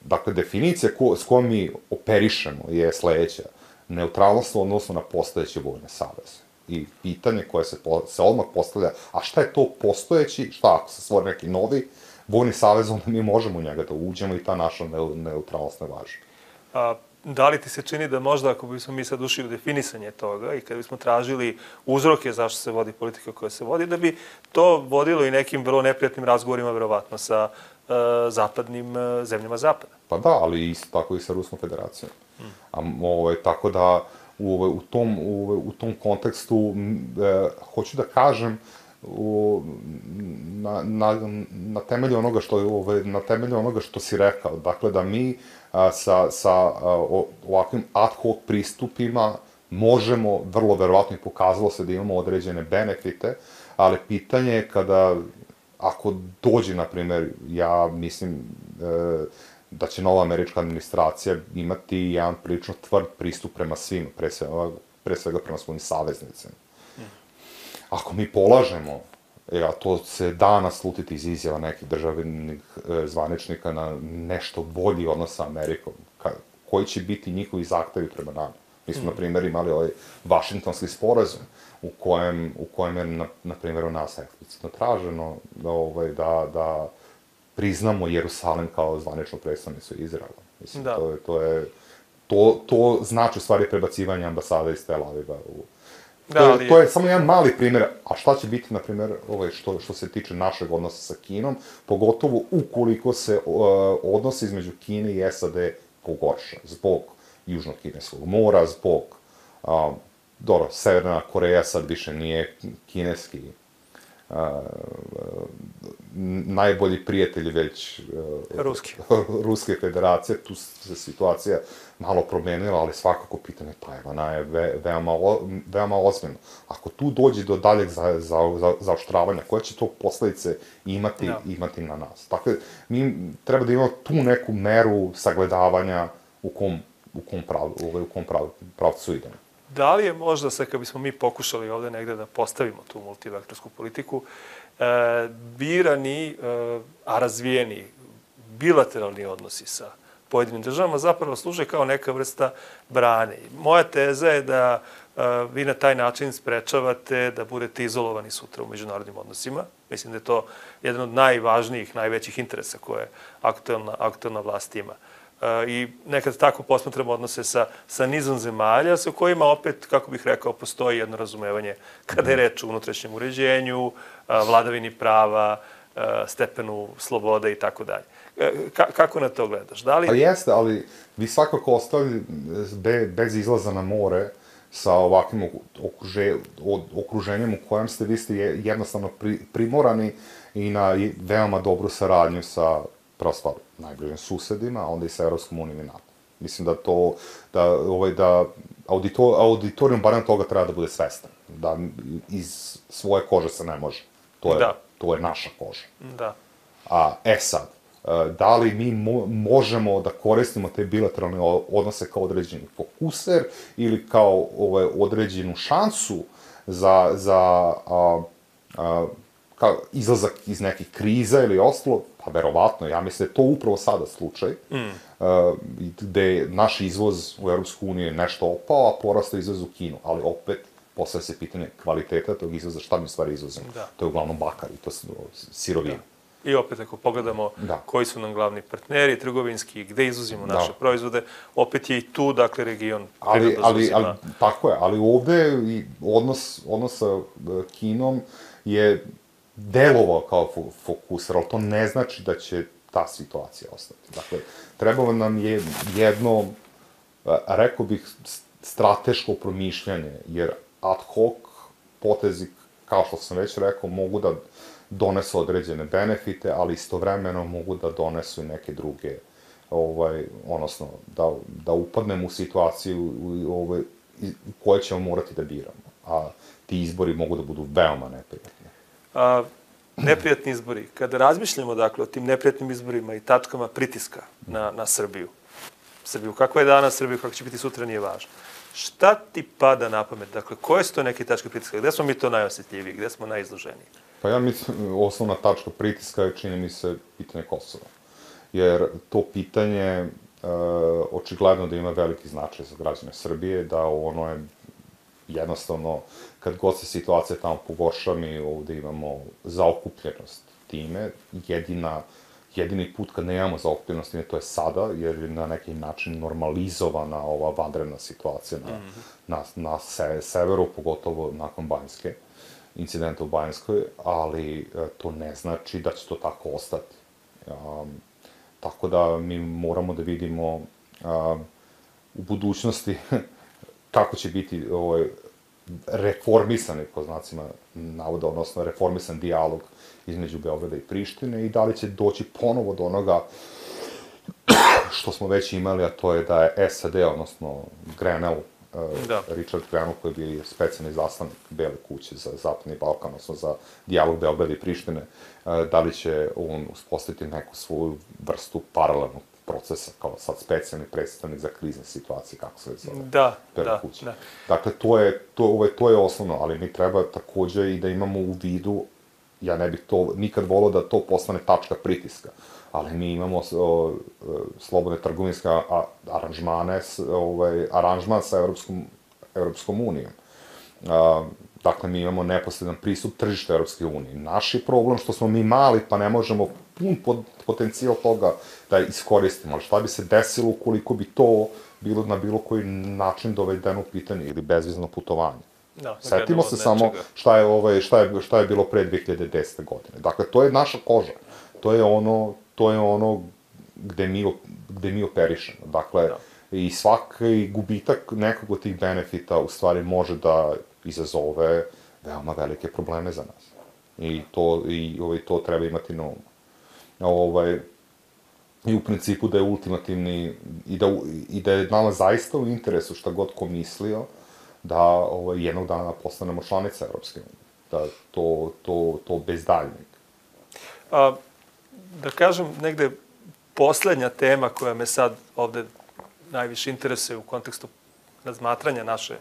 Dakle, definicija ko, s kojom mi operišemo je sledeća. Neutralnost odnosno na postojeće vojne saveze. I pitanje koje se, po, se odmah postavlja, a šta je to postojeći, šta ako se stvori neki novi vojni savez, onda mi možemo u njega da uđemo i ta naša ne, neutralnost ne važi. A, da li ti se čini da možda, ako bismo mi sad ušli u definisanje toga i kada bismo tražili uzroke zašto se vodi politika koja se vodi, da bi to vodilo i nekim vrlo neprijatnim razgovorima, verovatno, sa uh, zapadnim uh, zemljama zapada? Pa da, ali isto tako i sa Ruskom federacijom. Hmm. A, ovaj, tako da u, u, tom, u, u tom kontekstu e, hoću da kažem u, na, na, na temelju onoga što je ovaj, na temelju onoga što si rekao, dakle da mi a, sa, sa a, ovakvim ad hoc pristupima možemo, vrlo verovatno i pokazalo se da imamo određene benefite, ali pitanje je kada, ako dođe, na primjer, ja mislim e, da će nova američka administracija imati jedan prilično tvrd pristup prema svima, pre svega, pre svega prema svojim saveznicima. Mm. Ako mi polažemo, e, a to se danas slutiti iz izjava nekih državnih e, zvaničnika na nešto bolji odnos sa Amerikom, ka, koji će biti njihovi zahtevi prema nama. Mi smo, mm. na primjer, imali ovaj Vašingtonski sporazum, u kojem, u kojem je, na, na primjer, u nas eksplicitno traženo da, ovaj, da, da priznamo Jerusalim kao zvaničnu predstavnicu Izraela. Mislim, da. to je, to je, to, to znači u stvari prebacivanje ambasade iz Tel Aviva u... Da, to, je, to je samo jedan mali primjer, a šta će biti, na primjer, ovaj, što, što se tiče našeg odnosa sa Kinom, pogotovo ukoliko se uh, odnosi između Kine i S A D pogorša, zbog Južnog kineskog mora, zbog, um, dobro, Severna Koreja sad više nije kineski Uh, uh, najbolji prijatelji već uh, Ruski. Ruske federacije, tu se situacija malo promenila, ali svakako pitanje Tajvana je ve, veoma, o, veoma ozbiljno. Ako tu dođe do daljeg za, za, za, zaoštravanja, koje će to posledice imati, no. imati na nas? Dakle, mi treba da imamo tu neku meru sagledavanja u kom, u kom, prav, u kom prav, pravcu idemo. Da li je možda, sad kad bismo mi pokušali ovde negde da postavimo tu multivektorsku politiku, e, birani, e, a razvijeni bilateralni odnosi sa pojedinim državama zapravo služe kao neka vrsta brane. Moja teza je da e, vi na taj način sprečavate da budete izolovani sutra u međunarodnim odnosima. Mislim da je to jedan od najvažnijih, najvećih interesa koje aktuelna, aktuelna vlast ima. I nekad tako posmatramo odnose sa, sa nizom zemalja, sa kojima opet, kako bih rekao, postoji jedno razumevanje kada je reč o unutrašnjem uređenju, vladavini prava, stepenu slobode i tako dalje. Kako na to gledaš? Da li... Pa jeste, ali vi svakako ostavili be, bez izlaza na more sa ovakvim okruže, okruženjem u kojem ste, vi ste jednostavno pri, primorani i na veoma dobru saradnju sa prosto najbližim susedima, a onda i sa Evropskom unijom i NATO. Mislim da to, da, ovaj, da auditor, auditorijum barem toga treba da bude svestan, da iz svoje kože se ne može. To je, da. To je naša koža. Da. A, e sad, da li mi mo možemo da koristimo te bilateralne odnose kao određeni fokuser ili kao ovaj, određenu šansu za, za a, a, kao izlazak iz nekih kriza ili ostalo, pa verovatno, ja mislim da je to upravo sada slučaj, mm. a, gde naš izvoz u Evropsku uniju je nešto opao, a porastao izvoz u Kinu, ali opet postavlja se pitanje kvaliteta tog izvoza, šta mi u stvari izvozimo. Da. To je uglavnom bakar i to sirovina. I opet, ako pogledamo da. koji su nam glavni partneri trgovinski, gde izvozimo naše da. proizvode, opet je i tu, dakle, region. Ali, ali, ali, tako je, ali ovde i odnos, odnos sa Kinom je delovao kao fokuser, ali to ne znači da će ta situacija ostati. Dakle, trebalo nam je jedno, rekao bih, strateško promišljanje, jer ad hoc potezi, kao što sam već rekao, mogu da donesu određene benefite, ali istovremeno mogu da donesu i neke druge, ovaj, odnosno, da, da upadnemo u situaciju ovaj, u kojoj ćemo morati da biramo. A ti izbori mogu da budu veoma neprijatni. A, neprijatni izbori. Kada razmišljamo, dakle, o tim neprijatnim izborima i tačkama pritiska na, na Srbiju, Srbiju, kakva je danas Srbija, kako će biti sutra, nije važno. Šta ti pada na pamet? Dakle, koje su to neke tačke pritiska? Gde smo mi to najosjetljiviji? Gde smo najizloženiji? Pa ja mislim, osnovna tačka pritiska je, čini mi se, pitanje Kosova. Jer to pitanje e, očigledno da ima veliki značaj za građane Srbije, da ono je jednostavno, kad god se situacija tamo pogorša, mi ovde imamo zaokupljenost time. Jedina, jedini put kad nemamo zaokupljenost time, to je sada, jer je na neki način normalizovana ova vanredna situacija na, mm-hmm. na, na se, severu, pogotovo nakon Banjske, incidenta u Banjskoj, ali e, to ne znači da će to tako ostati. Um, tako da mi moramo da vidimo um, u budućnosti kako će biti ovaj, reformisani, po znacima navoda, odnosno reformisan dijalog između Beograda i Prištine i da li će doći ponovo do onoga što smo već imali, a to je da je S A D, odnosno Grenell, da. Richard Grenell, koji je bio specijalni izaslanik Bele kuće za Zapadni Balkan, odnosno za dijalog Beograda i Prištine, da li će on uspostaviti neku svoju vrstu paralelnog procesa, kao sad specijalni predstavnik za krizne situacije, kako se zove, da, Bele da, kuće. Da. Dakle, to je, to, ovaj, to je osnovno, ali mi treba takođe i da imamo u vidu, ja ne bih to nikad volao da to postane tačka pritiska, ali mi imamo o, slobodne trgovinske aranžmane, ovaj, aranžman sa Evropskom, Evropskom unijom. A, dakle, mi imamo neposredan pristup tržišta Evropske unije. Naš je problem što smo mi mali, pa ne možemo pun pot, potencijal toga da iskoristimo. Ali šta bi se desilo ukoliko bi to bilo na bilo koji način dovedeno u pitanje ili bezvizno putovanje? Da, setimo se samo šta je, ovaj, šta, je, šta je bilo pre dve hiljade desete. godine. Dakle, to je naša koža. To je ono, to je ono gde mi, gde mi operišemo. Dakle, da. I svaki gubitak nekog od tih benefita u stvari može da izazove veoma velike probleme za nas. I to, i, ovaj, to treba imati na umu. Ovaj, I u principu da je ultimativni, i da, i da je nama zaista u interesu šta god ko mislio, da ovaj, jednog dana postanemo članica Evropske unije. Da to, to, to bez daljnjeg. A, da kažem, negde poslednja tema koja me sad ovde najviše interesuje u kontekstu razmatranja naše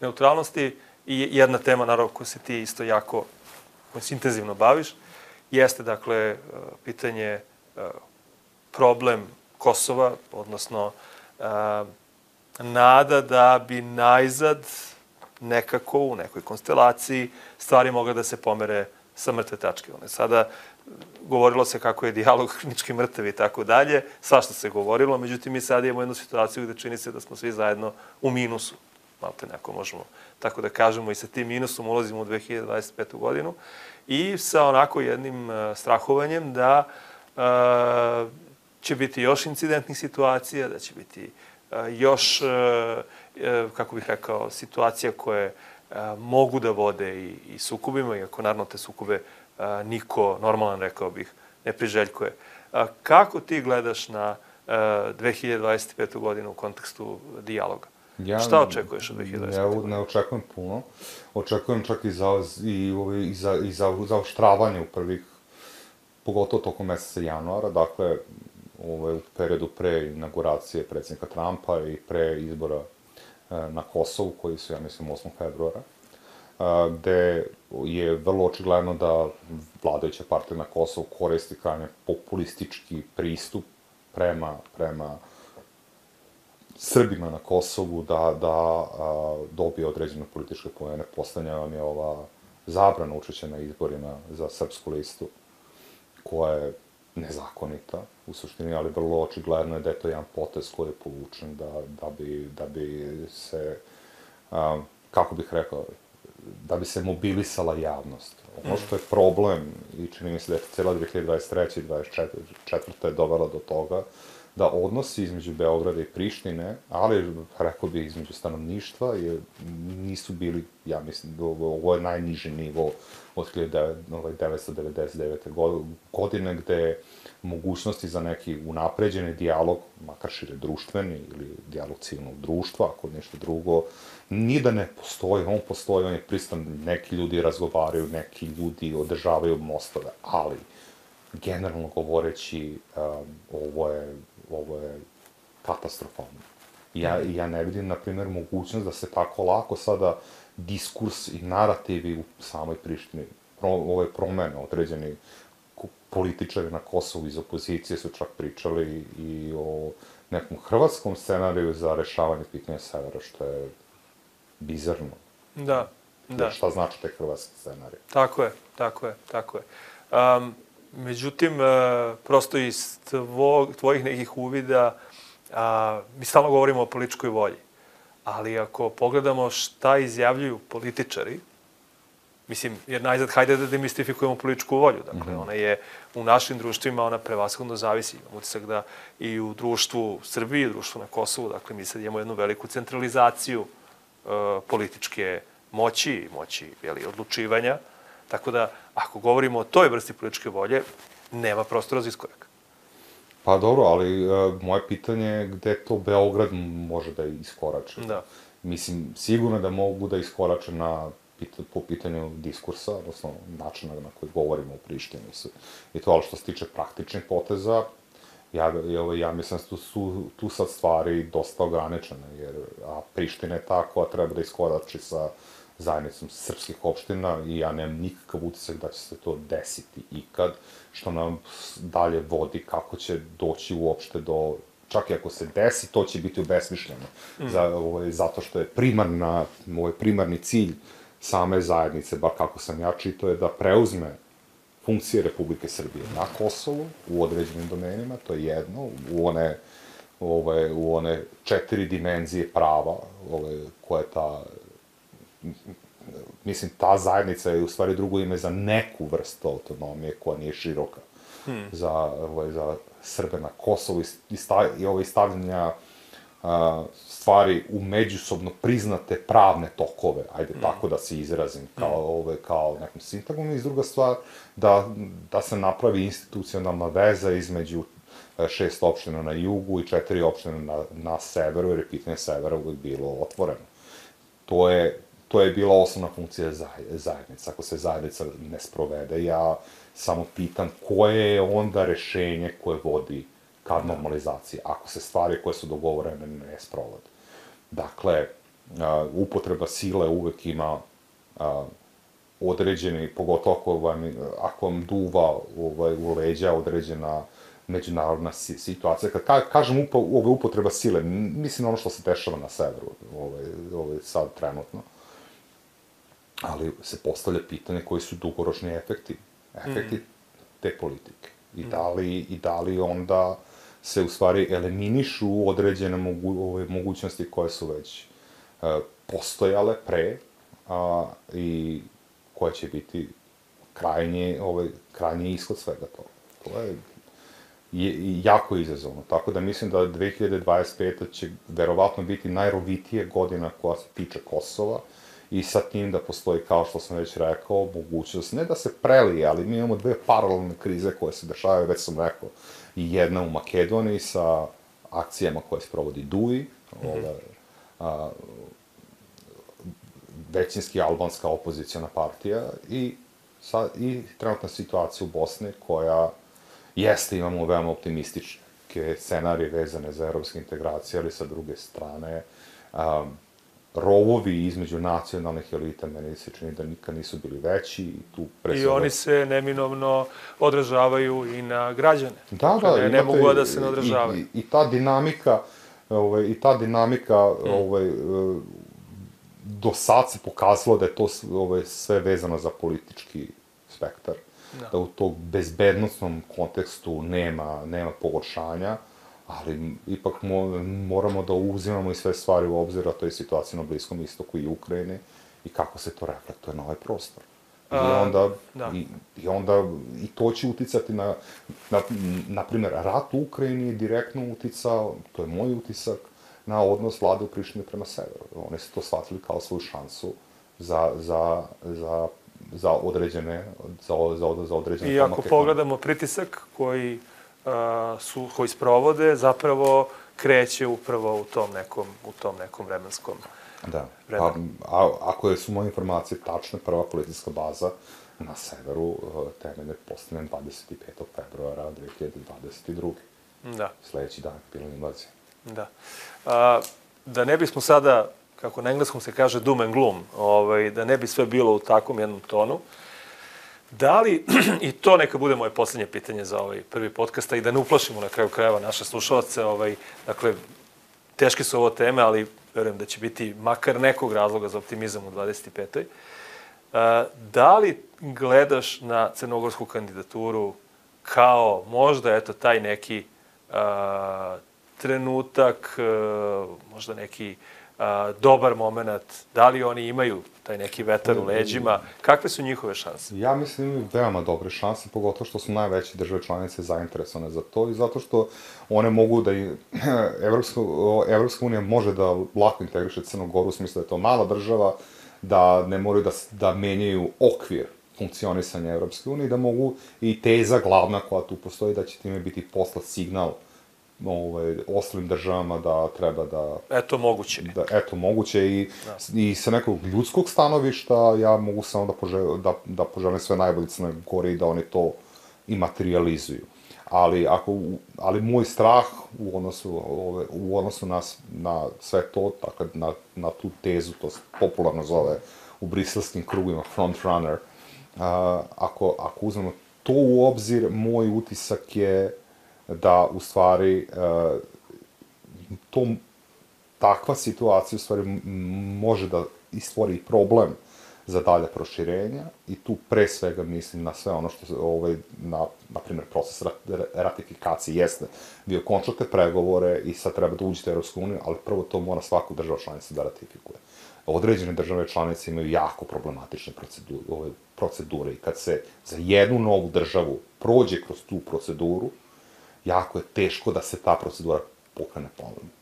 neutralnosti i jedna tema, naravno, koju se ti isto jako, koju se intenzivno baviš, jeste, dakle, pitanje, problem Kosova, odnosno nada da bi najzad nekako u nekoj konstelaciji stvari mogle da se pomere sa mrtve tačke. Sada govorilo se kako je dijalog klinički mrtav i tako dalje, svašta se govorilo, međutim mi sad imamo jednu situaciju gde čini se da smo svi zajedno u minusu. Malo te neko možemo tako da kažemo i sa tim minusom ulazimo u dve hiljade dvadeset petu. godinu i sa onako jednim strahovanjem da uh, će biti još incidentnih situacija, da će biti još, kako bih rekao, situacija koje mogu da vode i, i sukobima, iako naravno te sukobe niko, normalan rekao bih, ne priželjkuje. Kako ti gledaš na dve hiljade dvadeset petu godinu u kontekstu dijaloga? Ja, Šta očekuješ od dve hiljade dvadeset pete? Ja ne očekujem puno. Očekujem čak i za, i, i za, i za zaoštravanje u prvih, pogotovo tokom meseca januara, dakle, ovaj, u periodu pre inauguracije predsjednika Trumpa i pre izbora na Kosovu, koji su, ja mislim, osmog februara, gde je vrlo očigledno da vladajuća partija na Kosovu koristi krajnje populistički pristup prema, prema Srbima na Kosovu da, da a, dobije određene političke poene. Poslednja vam je ova zabrana učešća na izborima za srpsku listu, koja je nezakonita u suštini, ali vrlo očigledno je da je to jedan potez koji je povučen da, da, bi, da bi se, a, kako bih rekao, da bi se mobilisala javnost. Ono što je problem, i čini mi se da je cijela dve hiljade dvadeset treće i dvadeset četvrte je dovela do toga, da odnosi između Beograda i Prištine, ali, rekao bih, između stanovništva, je, nisu bili, ja mislim, ovo je najniži nivo od hiljadu devetsto devedeset devete. godine, gde mogućnosti za neki unapređeni dijalog, makar šire društveni ili dijalog civilnog društva, ako nešto drugo, ni da ne postoji, on postoji, on je pristan, neki ljudi razgovaraju, neki ljudi održavaju mostove, ali, generalno govoreći, um, ovo je, ovo je katastrofalno. Ja, ja ne vidim, na primjer, mogućnost da se tako lako sada diskurs i narativi u samoj Prištini, pro, ove promene, određeni političari na Kosovu iz opozicije su čak pričali i o nekom hrvatskom scenariju za rešavanje pitanja severa, što je bizarno. Da, da. Šta znači taj hrvatski scenarij? Tako je, tako je, tako je. Um, međutim, uh, prosto iz tvog, tvojih nekih uvida, uh, mi stalno govorimo o političkoj volji, ali ako pogledamo šta izjavljuju političari, mislim, jer najzad, hajde da demistifikujemo političku volju. Dakle, mm-hmm. ona je u našim društvima, ona prevashodno zavisi. Imam utisak da i u društvu Srbiji, i u društvu na Kosovu, dakle, mi sad imamo jednu veliku centralizaciju uh, političke moći, moći jeli, odlučivanja. Tako da, ako govorimo o toj vrsti političke volje, nema prostora za iskorak. Pa dobro, ali uh, moje pitanje je gde to Beograd može da iskorače. Da. Mislim, sigurno da mogu da iskorače na po pitanju diskursa, odnosno načina na koji govorimo u Prištini i to, ali što se tiče praktičnih poteza, ja, ja mislim da su tu sad stvari dosta ograničene, jer a Priština je ta koja treba da iskorači sa zajednicom srpskih opština i ja nemam nikakav utisak da će se to desiti ikad, što nam dalje vodi kako će doći uopšte do, čak i ako se desi, to će biti obesmišljeno, mm. za, ovaj, zato što je primarna, ovaj primarni cilj same zajednice, bar kako sam ja čitao, je da preuzme funkcije Republike Srbije na Kosovu, u određenim domenima, to je jedno, u one, ove, u one četiri dimenzije prava, ove, koje ta, mislim, ta zajednica je u stvari drugo ime za neku vrstu autonomije koja nije široka hmm. za, ove, za Srbe na Kosovu i, sta, i ove stavljanja a, stvari u međusobno priznate pravne tokove, ajde mm. tako da se izrazim, kao, mm. ove, kao nekom sintagmom, i druga stvar, da, da se napravi institucionalna veza između šest opština na jugu i četiri opštine na, na severu, jer je pitanje severa uvijek bilo otvoreno. To je, to je bila osnovna funkcija zajednice. Ako se zajednica ne sprovede, ja samo pitam koje je onda rešenje koje vodi ka normalizaciji, ako se stvari koje su dogovorene ne sprovode. Dakle, uh, upotreba sile uvek ima uh, određeni, pogotovo ako vam, ako vam duva ovaj, u leđa određena međunarodna situacija. Kad ka, kažem upo, ovaj, upotreba sile, mislim ono što se dešava na severu, ovaj, ovaj, sad trenutno, ali se postavlja pitanje koji su dugoročni efekti, efekti mm. te politike. I da li, i da li onda se u stvari eliminišu određene mogu, ove, mogućnosti koje su već e, postojale pre a, i koje će biti krajnje, ovaj, krajnji ishod svega toga. To je je jako izazovno. Tako da mislim da dve hiljade dvadeset peta će verovatno biti najrovitije godina koja se tiče Kosova i sa tim da postoji, kao što sam već rekao, mogućnost, ne da se prelije, ali mi imamo dve paralelne krize koje se dešavaju, već sam rekao, i jedna u Makedoniji sa akcijama koje se provodi D U I, mm-hmm. ove, a, većinski albanska opozicijona partija i, sa, i trenutna situacija u Bosni koja jeste, imamo veoma optimističke scenarije vezane za evropske integracije, ali sa druge strane, um, rovovi između nacionalnih elita, meni se čini da nikad nisu bili veći. I, tu I oni se neminovno odražavaju i na građane. Da, da. Ne, ne mogu da se ne odražavaju. I, i, i ta dinamika, ovaj, i ta dinamika, mm. ovaj, do sad se pokazalo da je to ovaj, sve vezano za politički spektar. Da, da u tog bezbednostnom kontekstu nema, nema pogoršanja, ali ipak mo, moramo da uzimamo i sve stvari u obzir, a to je situacija na Bliskom istoku i Ukrajini i kako se to reflektuje na ovaj prostor. I onda, a, i, i onda i to će uticati na, na, na primjer, rat u Ukrajini je direktno uticao, to je moj utisak, na odnos vlade u Prištini prema severu. Oni su to shvatili kao svoju šansu za, za, za za određene, za, za, za određene I ako pogledamo pritisak koji, a, su, koji sprovode, zapravo kreće upravo u tom nekom, u tom nekom vremenskom Da. A, a, ako su moje informacije tačne, prva policijska baza na severu temelje postavljen dvadeset petog februara dve hiljade dvadeset druge. Da. Sledeći dan je bila invazija. Da. A, da ne bismo sada, kako na engleskom se kaže doom and gloom, ovaj, da ne bi sve bilo u takvom jednom tonu, da li, i to neka bude moje poslednje pitanje za ovaj prvi podcast, i da ne uplašimo na kraju krajeva naše slušalce, ovaj, dakle, teške su ovo teme, ali verujem da će biti makar nekog razloga za optimizam u dvadeset petoj. A, da li gledaš na crnogorsku kandidaturu kao možda, eto, taj neki a, trenutak, a, možda neki a, dobar moment, da li oni imaju taj neki vetar u leđima, kakve su njihove šanse? Ja mislim da imaju veoma dobre šanse, pogotovo što su najveće države članice zainteresovane za to i zato što one mogu da i Evropska, Evropska unija može da lako integriše Crnu Goru u smislu da je to mala država, da ne moraju da, da menjaju okvir funkcionisanja Evropske unije, da mogu i teza glavna koja tu postoji, da će time biti poslat signal ovaj, ostalim državama da treba da... Eto, moguće. Da, eto, moguće i, da. I sa nekog ljudskog stanovišta ja mogu samo da, požel, da, da poželim sve najbolje Crne Gore i da oni to i materializuju. Ali, ako, ali moj strah u odnosu, ove, u odnosu na, na sve to, dakle, na, na tu tezu, to se popularno zove u briselskim krugima frontrunner, a, ako, ako uzmemo to u obzir, moj utisak je da u stvari uh, to, takva situacija u stvari može da istvori problem za dalje proširenja i tu pre svega mislim na sve ono što ovaj, na, na primjer, proces ratifikacije jeste. Vi okončate pregovore i sad treba da uđete u Evropsku uniju, ali prvo to mora svaku država članica da ratifikuje. Određene države članice imaju jako problematične procedure, ove procedure i kad se za jednu novu državu prođe kroz tu proceduru, jako je teško da se ta procedura pokrene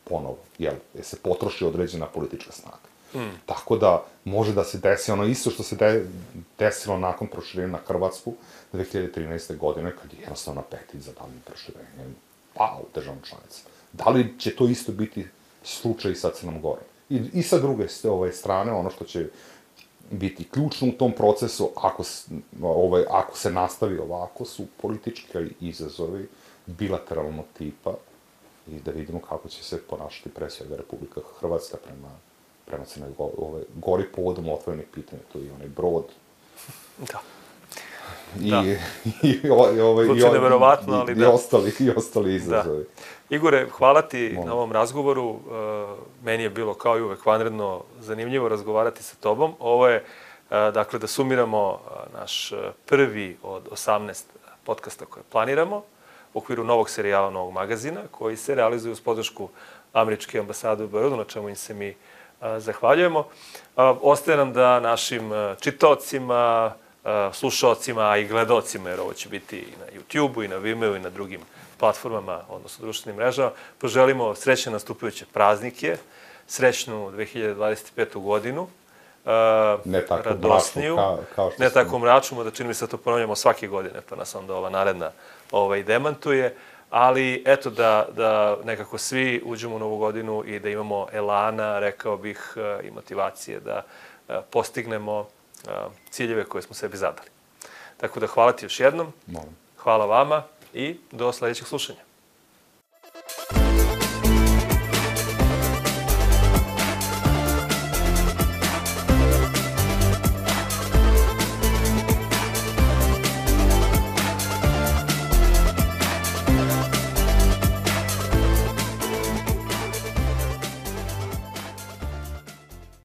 ponovo, jer se potroši određena politička snaga. Mm. Tako da može da se desi ono isto što se de, desilo nakon proširenja na Hrvatsku dve hiljade trinaeste. godine, kad je jednostavno petit za daljim proširenjem pa u državnom članici. Da li će to isto biti slučaj i sa Crnom Gorom? I, i sa druge ove strane, ono što će biti ključno u tom procesu, ako, ovaj, ako se nastavi ovako, su politički izazovi bilateralnog tipa i da vidimo kako će se ponašati pre svega Republika Hrvatska prema, prema Crnoj Gori, Gori povodom otvorenih pitanja, to je onaj brod. Da. I, da. i, i, i, ovaj, i, neverovatno, ali i, da. I ostali, i ostali izazovi. Da. Igore, hvala ti Molim. na ovom razgovoru. Uh, meni je bilo kao i uvek vanredno zanimljivo razgovarati sa tobom. Ovo je, uh, dakle, da sumiramo uh, naš prvi od osamnaest podcasta koje planiramo u okviru novog serijala, novog magazina, koji se realizuje uz podršku Američke ambasade u Beogradu, na čemu im se mi a, zahvaljujemo. A, ostaje nam da našim čitaocima, slušaocima, a i gledaocima, jer ovo će biti i na YouTube-u, i na Vimeo, i na drugim platformama, odnosno društvenim mrežama. Poželimo srećne nastupajuće praznike, srećnu dve hiljade dvadeset petu godinu, ne tako radosniju, mračnu kao što ne tako mračnu, da čini mi se da to ponavljamo svake godine, pa nas onda ova naredna ovaj, demantuje, ali eto da, da nekako svi uđemo u novu godinu i da imamo elana, rekao bih, i motivacije da postignemo ciljeve koje smo sebi zadali. Tako da hvala ti još jednom, Molim. hvala vama i do sledećeg slušanja.